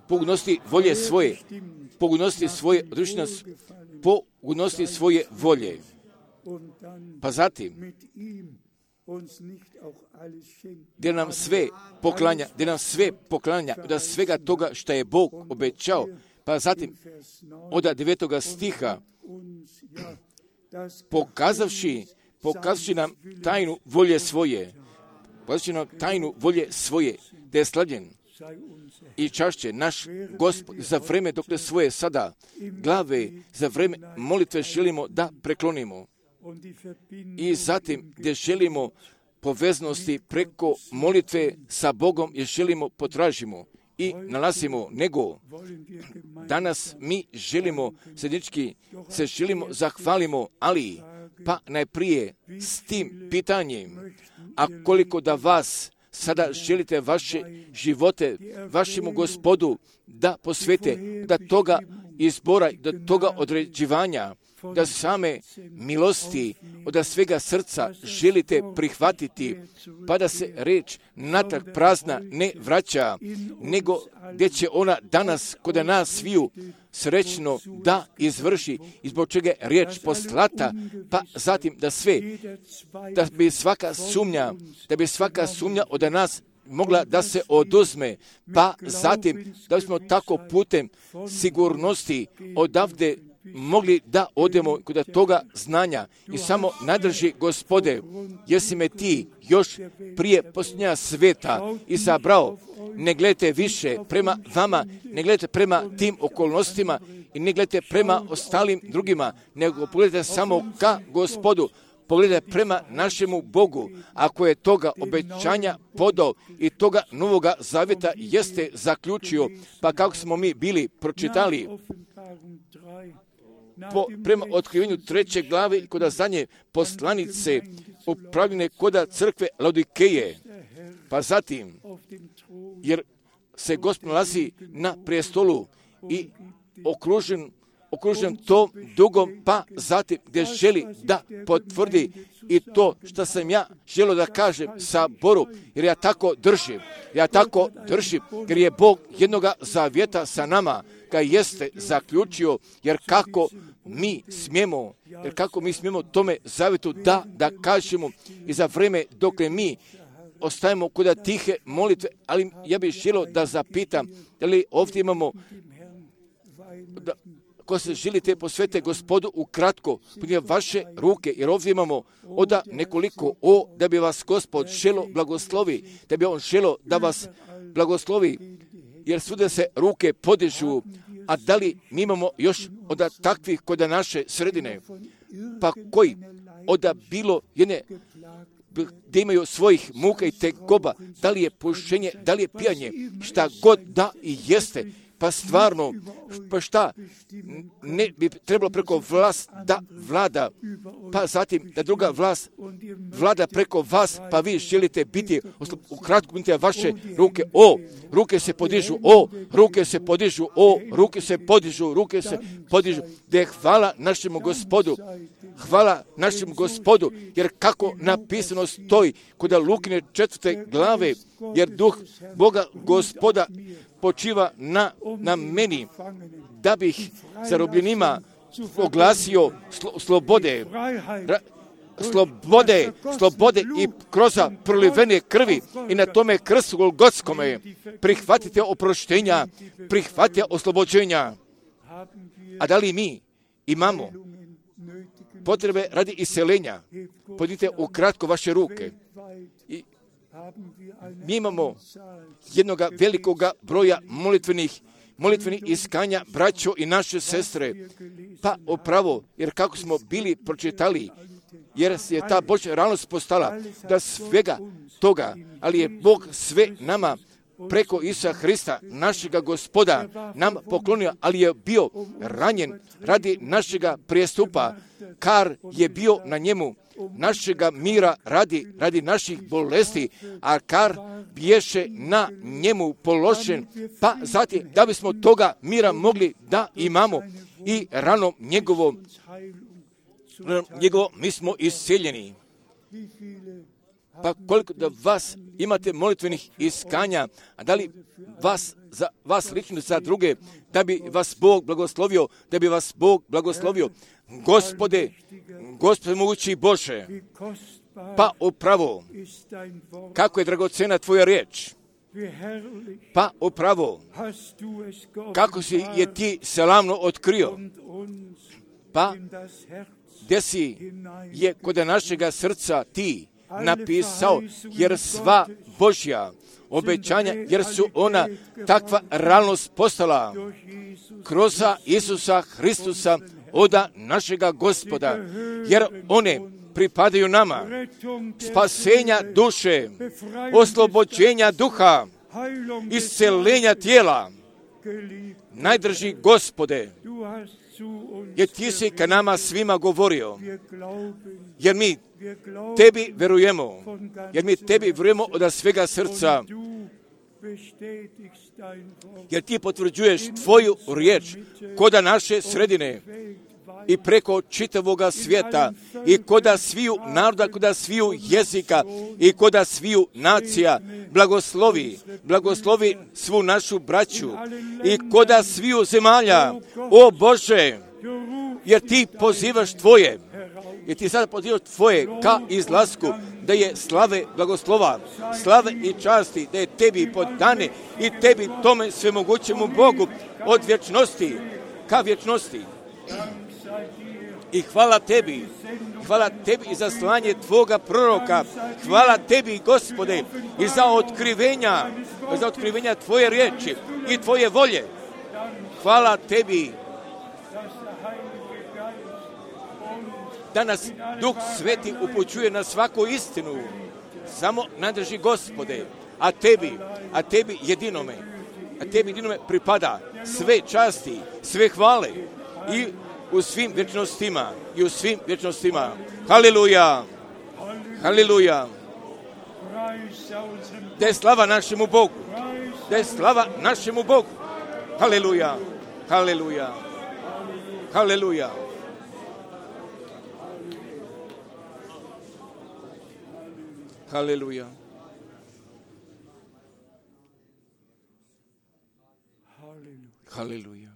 [SPEAKER 1] pogodnosti volje svoje, pogodnosti svoje, odreći nas pogodnosti svoje volje. Pa zatim, gdje nam sve poklanja, da svega toga što je Bog obećao. Pa zatim, od 9. stiha, pokazavši nam tajnu volje svoje, da je slavljen i čašće naš Gospod za vreme dok ne svoje sada glave, za vreme molitve želimo da preklonimo. I zatim gdje želimo poveznosti preko molitve sa Bogom, jer želimo potražimo i nalazimo, nego danas mi želimo se želimo zahvalimo, ali pa najprije s tim pitanjem, a koliko da vas sada želite vaše živote vašemu Gospodu da posvete, da toga izbora, da toga određivanja, da same milosti od svega srca želite prihvatiti, pa da se reč natrag prazna ne vraća, nego gdje će ona danas kod nas sviju srećno da izvrši, i zbog čega je riječ poslata, pa zatim da bi svaka sumnja od nas mogla da se oduzme, pa zatim da bismo tako putem sigurnosti odavde mogli da odemo kod toga znanja i samo nadrži Gospode, jesi me ti još prije posljednja sveta izabrao, ne gledajte više prema vama, ne gledajte prema tim okolnostima i ne gledajte prema ostalim drugima, nego pogledajte samo ka Gospodu, pogledajte prema našemu Bogu, ako je toga obećanja podao i toga novoga zavjeta jeste zaključio, pa kako smo mi bili pročitali prema otkrivenju 3. glave kod zadnje poslanice upravljene kod crkve Laodikeje. Pa zatim, jer se Gospod nalazi na prijestolu i okružen tom dugom, pa zatim gdje želi da potvrdi i to što sam ja želio da kažem Saboru, jer ja tako držim, jer je Bog jednoga zavjeta sa nama ga jeste zaključio, jer kako mi smijemo tome zavjetu da kažemo i za vreme dok mi ostajemo kod tihe molitve, ali ja bih želio da zapitam, da li ovdje imamo ko se želite posvete Gospodu ukratko, podnije vaše ruke, jer ovdje imamo oda nekoliko da bi vas Gospod želo blagoslovi, da bi on želo da vas blagoslovi, jer svuda se ruke podižu, a da li mi imamo još od takvih kod naše sredine, pa koji od bilo jedne gdje imaju svojih muka i tegoba, da li je pušenje, da li je pijanje, šta god da i jeste, pa stvarno, pa šta ne bi trebalo preko vlast da vlada, pa zatim da druga vlast vlada preko vas, pa vi želite biti, ukratko budite vaše ruke, ruke se podižu, ruke se podižu, da je hvala našemu Gospodu, jer kako napisano stoji kod Lukine 4. glave, jer duh Boga Gospoda počiva na meni, da bih zarobljenima oglasio slobode i kroz prolivene krvi i na tome krstu Golgotskome prihvatite oproštenja, prihvatite oslobođenja. A da li mi imamo potrebe radi iseljenja? Podite ukratko vaše ruke. Mi imamo jednoga velikoga broja molitvenih iskanja, braćo i naše sestre, pa opravo, jer kako smo bili pročitali,
[SPEAKER 2] jer je ta Božja realnost postala da svega toga, ali je Bog sve nama preko Isusa Hrista, našega Gospoda, nam poklonio, ali je bio ranjen radi našega prijestupa, kar je bio na njemu, našega mira radi naših bolesti, a kar biješe na njemu položen, pa zatim da bismo toga mira mogli da imamo i ranom njegovo mi smo isceljeni. Pa koliko da vas imate molitvenih iskanja, a da li za vas lično za druge, da bi vas Bog blagoslovio, Gospode mogući Bože, pa upravo, kako je dragocena tvoja riječ, pa upravo, kako si je ti slavno otkrio, pa gdje si je kod našega srca ti napisao, jer sva Božja obećanja, jer su ona takva realnost postala kroz Isusa Hristusa, oda našega Gospoda, jer one pripadaju nama, spasenja duše, oslobođenja duha, isceljenja tijela. Najdrži Gospode, jer ti si ka nama svima govorio, jer mi tebi verujemo od svega srca, jer ti potvrđuješ tvoju riječ koda naše sredine i preko čitavoga svijeta i koda sviju naroda, koda sviju jezika i koda sviju nacija. Blagoslovi svu našu braću i koda sviju zemalja, o Bože, jer ti pozivaš tvoje, jer ti sada pozivaš tvoje ka izlasku, da je slave blagoslova, slave i časti, da je tebi podane i tebi tome svemogućemu Bogu od vječnosti ka vječnosti. I hvala tebi i za slanje tvoga proroka, hvala tebi, Gospode, i za otkrivenja tvoje riječi i tvoje volje. Hvala tebi da nas Duh Sveti upućuje na svaku istinu. Samo nadrži, Gospode, a tebi jedinome pripada sve časti, sve hvale i u svim vječnostima. Haleluja! Haleluja! Da je slava našemu Bogu! Haleluja! Haleluja! Haleluja! Haleluja! Haleluja!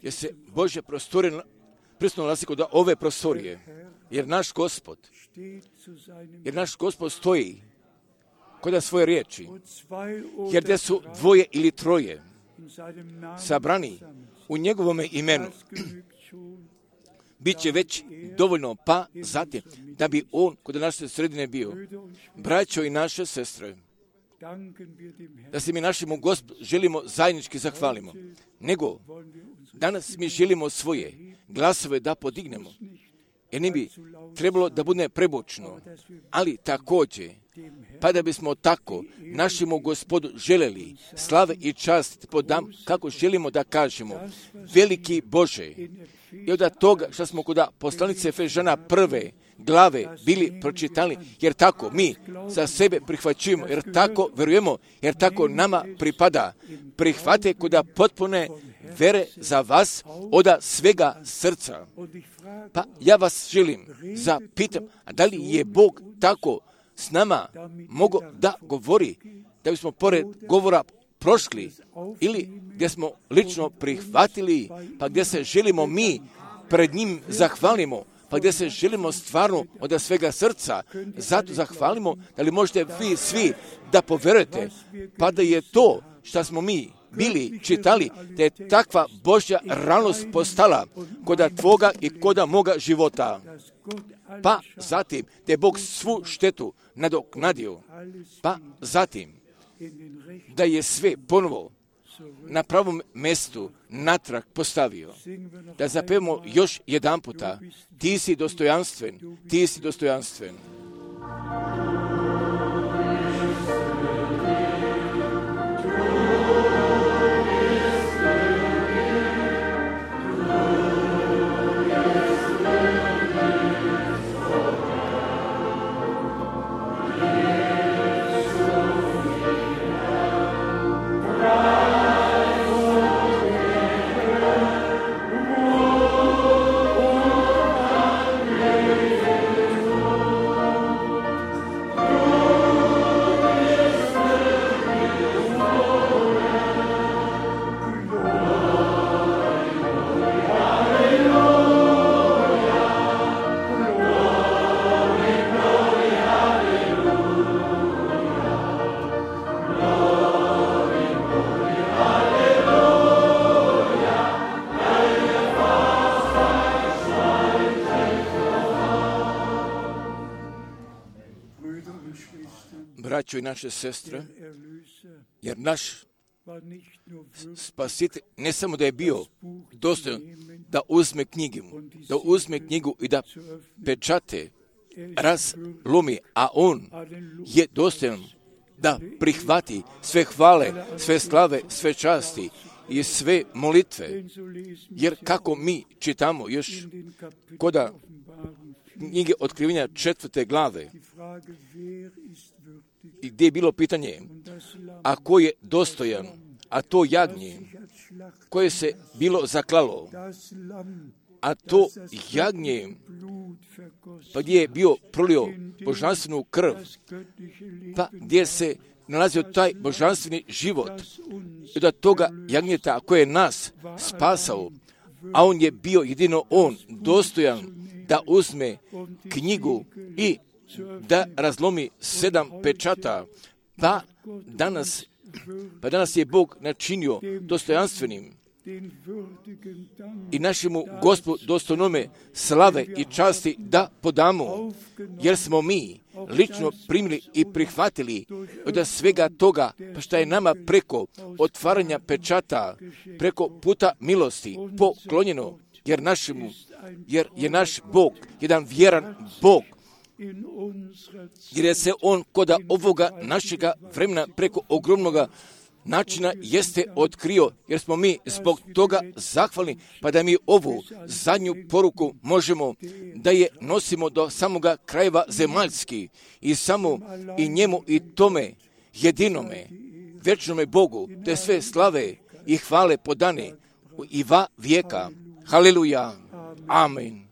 [SPEAKER 2] Jer se Božja prostorija prisutno nalazi kod ove prostorije, jer naš Gospod stoji kod svoje riječi, jer gdje su dvoje ili troje sabrani u njegovome imenu, bit će već dovoljno, pa zatim da bi on kod naše sredine bio. Braćo i naše sestre, da se mi našemu Gospodu želimo zajednički zahvalimo, nego danas mi želimo svoje glasove da podignemo, jer ne bi trebalo da bude prebučno, ali također, pa da bismo tako našemu Gospodu želeli slave i čast podam, kako želimo da kažemo, veliki Bože, i od toga što smo kod poslanice Efežana 1. glave bili pročitali, jer tako mi za sebe prihvaćujemo, jer tako verujemo, jer tako nama pripada. Prihvate kod potpune vere za vas od svega srca. Pa ja vas želim zapitam, a da li je Bog tako s nama mogao da govori, da bismo pored govora prošli, ili gdje smo lično prihvatili, pa gdje se želimo mi pred njim zahvalimo, pa gdje se želimo stvarno od svega srca, zato zahvalimo, da li možete vi svi da poverujete, pa da je to što smo mi bili čitali, da je takva Božja realnost postala koda tvoga i koda moga života. Pa zatim, da je Bog svu štetu nadoknadio, pa zatim, da je sve ponovo
[SPEAKER 1] na pravom mjestu natrag postavio. Da zapevamo još jedan puta, ti si dostojanstven, ti si dostojanstven. Braćo i naše sestre, jer naš Spasitelj ne samo da je bio dostojan da uzme knjigu i da pečate razlomi, a on je dostojan da prihvati sve hvale, sve slave, sve časti i sve molitve. Jer kako mi čitamo još koda knjige Otkrivenja 4. glave, i gdje je bilo pitanje, a ko je dostojan, a to jagnje koje se bilo zaklalo, a to jagnje pa gdje je bio prolio božanstvenu krv, pa gdje se nalazio taj božanstveni život, i da toga jagnjeta koje je nas spasao, a on je bio jedino on dostojan da uzme knjigu i da razlomi 7 pečata, pa danas je Bog načinio dostojanstvenim i našemu Gospodu dostojnome slave i časti da podamo, jer smo mi lično primili i prihvatili od svega toga pa što je nama preko otvaranja pečata, preko puta milosti poklonjeno, jer je naš Bog jedan vjeran Bog, jer je se on koda ovoga našega vremena preko ogromnoga načina jeste otkrio, jer smo mi zbog toga zahvalni, pa da mi ovu zadnju poruku možemo da je nosimo do samoga krajeva zemaljski i samo i njemu i tome jedinome večnome Bogu te sve slave i hvale podane i va vijeka. Haleluja. Amen.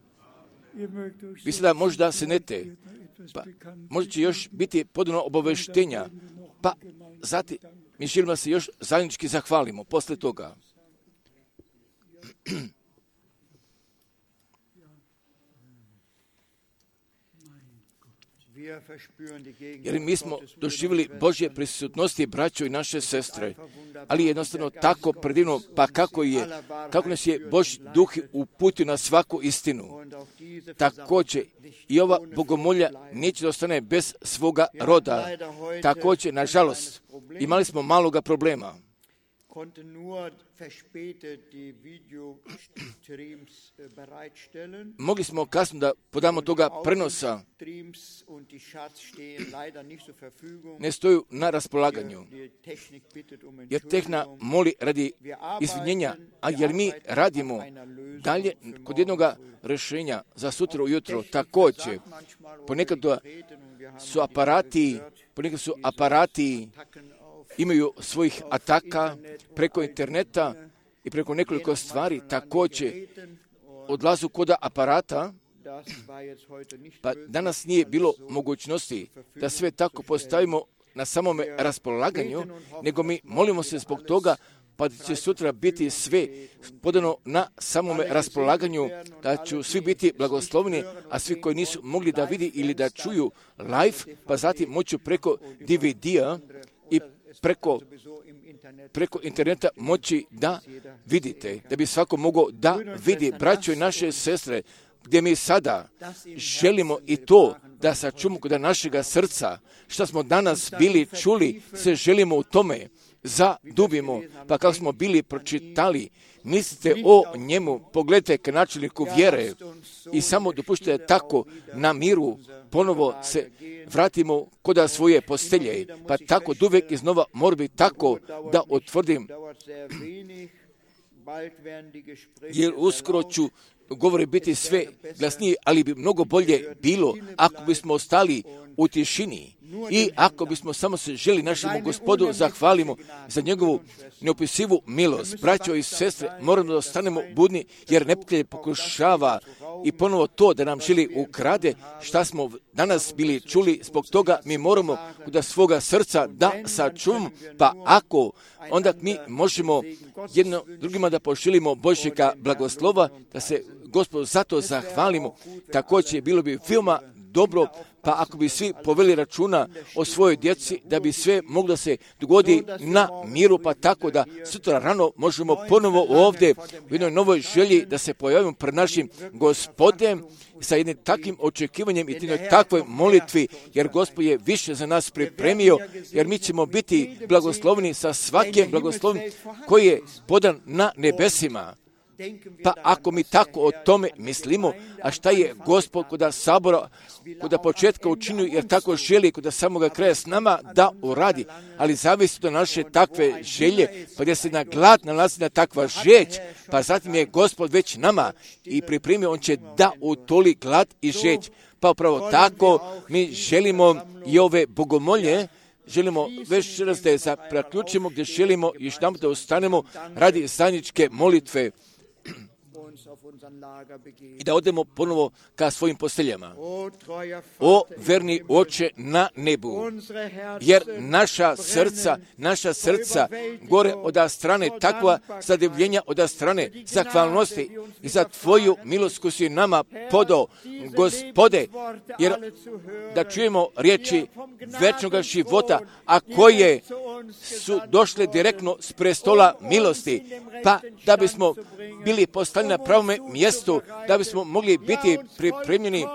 [SPEAKER 1] Vi sada možda se nete, pa možda će još biti podano obaveštenja, pa zatim mi želimo se još zajednički zahvalimo posle toga. Jer mi smo doživjeli Božje prisutnosti, braćo i naše sestre, ali jednostavno tako predivno, pa kako nas je Božji duh uputio na svaku istinu. Također i ova bogomolja neće da ostane bez svoga roda. Također, nažalost, imali smo maloga problema. Mogli smo kasno da podamo toga prenosa, ne stoju na raspolaganju, jer tehna moli radi izvinjenja, a jer mi radimo dalje kod jednog rješenja za sutra ujutro. Također, ponekad su aparati imaju svojih ataka preko interneta i preko nekoliko stvari, također odlazu kod aparata, pa danas nije bilo mogućnosti da sve tako postavimo na samome raspolaganju, nego mi molimo se zbog toga, pa će sutra biti sve podano na samome raspolaganju, da će svi biti blagosloveni, a svi koji nisu mogli da vidi ili da čuju live, pa zatim moću preko DVD-a i preko interneta moći da vidite, da bi svako mogao da vidi, braćo i naše sestre, gdje mi sada želimo i to da sačuvamo kod našega srca, što smo danas bili čuli, se želimo u tome zadubimo. Pa kako smo bili pročitali, mislite o njemu, pogledajte k načelniku vjere i samo dopuštajte tako na miru ponovo se vratimo kod svoje postelje. Pa tako uvijek iznova mora biti tako da utvrdim, jer uskoro ću govori biti sve glasnije, ali bi mnogo bolje bilo ako bismo ostali u tišini i ako bismo samo se želi našemu Gospodu zahvalimo za njegovu neopisivu milost. Braćo i sestre, moramo da ostanemo budni, jer neprijatelj pokušava i ponovo to da nam želi ukrade šta smo danas bili čuli. Zbog toga mi moramo kod svoga srca da sačuvamo, pa ako onda mi možemo jedno drugima da pošilimo Božjega blagoslova, da se Gospodu zato zahvalimo. Također bilo bi veoma dobro, pa ako bi svi poveli računa o svojoj djeci, da bi sve moglo se dogodi na miru, pa tako da sutra rano možemo ponovo ovdje u jednoj novoj želji da se pojavimo pred našim Gospodem sa jednim takvim očekivanjem i jednoj takvoj molitvi, jer Gospod je više za nas pripremio, jer mi ćemo biti blagoslovni sa svakim blagoslovom koji je podan na nebesima. Pa ako mi tako o tome mislimo, a šta je Gospod kod sabora, kod početka učinio, jer tako želi kod samoga kraja s nama da uradi, ali zavisi do naše takve želje, pa gdje se na glad nalazi na takva žeć, pa zatim je Gospod već nama i pripremio, on će da utoli glad i žeć. Pa upravo tako mi želimo i ove bogomolje, želimo već raz da je zaključimo, gdje želimo još nam da ostanemo radi zajedničke molitve i da odemo ponovo ka svojim posteljama. O verni Oče na nebu, jer naša srca gore od strane takva zadivljenja, od strane zahvalnosti i za Tvoju milost koju si nama podao, Gospode, jer da čujemo riječi večnog života, a koje su došle direktno s prestola milosti, pa da bismo bili postavljeni na pravome mjestu, da bismo mogli biti pripremljeni,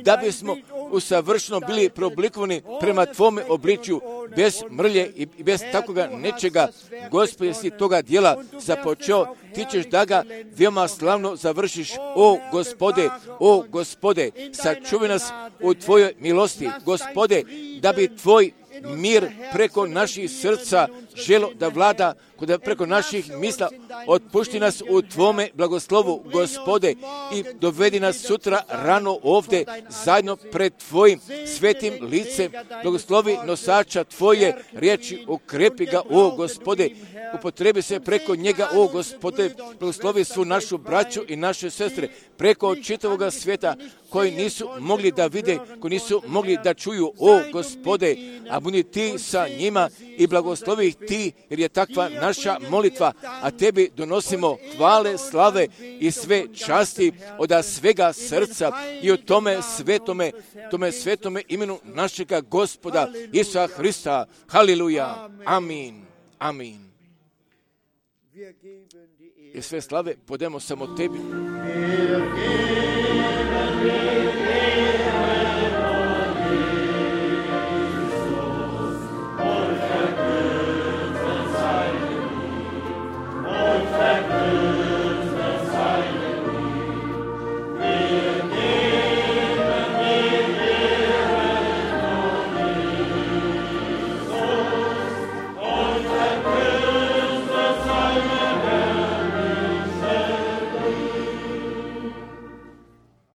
[SPEAKER 1] da bismo usavršeno bili preoblikovani prema Tvome obličju, bez mrlje i bez takvoga nečega. Gospode, si toga dijela započeo, ti ćeš da ga veoma slavno završiš. O Gospode, sačuvaj nas u Tvojoj milosti. Gospode, da bi Tvoj mir preko naših srca želo da vlada, preko naših misla, otpušti nas u Tvome blagoslovu, Gospode, i dovedi nas sutra rano ovdje zajedno pred Tvojim svetim licem. Blagoslovi nosača Tvoje riječi, ukrepi ga, o Gospode, upotrebi se preko njega, o Gospode, blagoslovi svu našu braću i naše sestre preko čitavoga svijeta koji nisu mogli da vide, koji nisu mogli da čuju, o Gospode, a budi Ti sa njima i blagoslovi ih Ti, jer je takva naša molitva, a Tebi donosimo hvale, slave i sve časti od svega srca i o tome svetome imenu našega Gospoda Isusa Hrista. Haleluja. Amin. Amin. I sve slave podemo samo Tebi.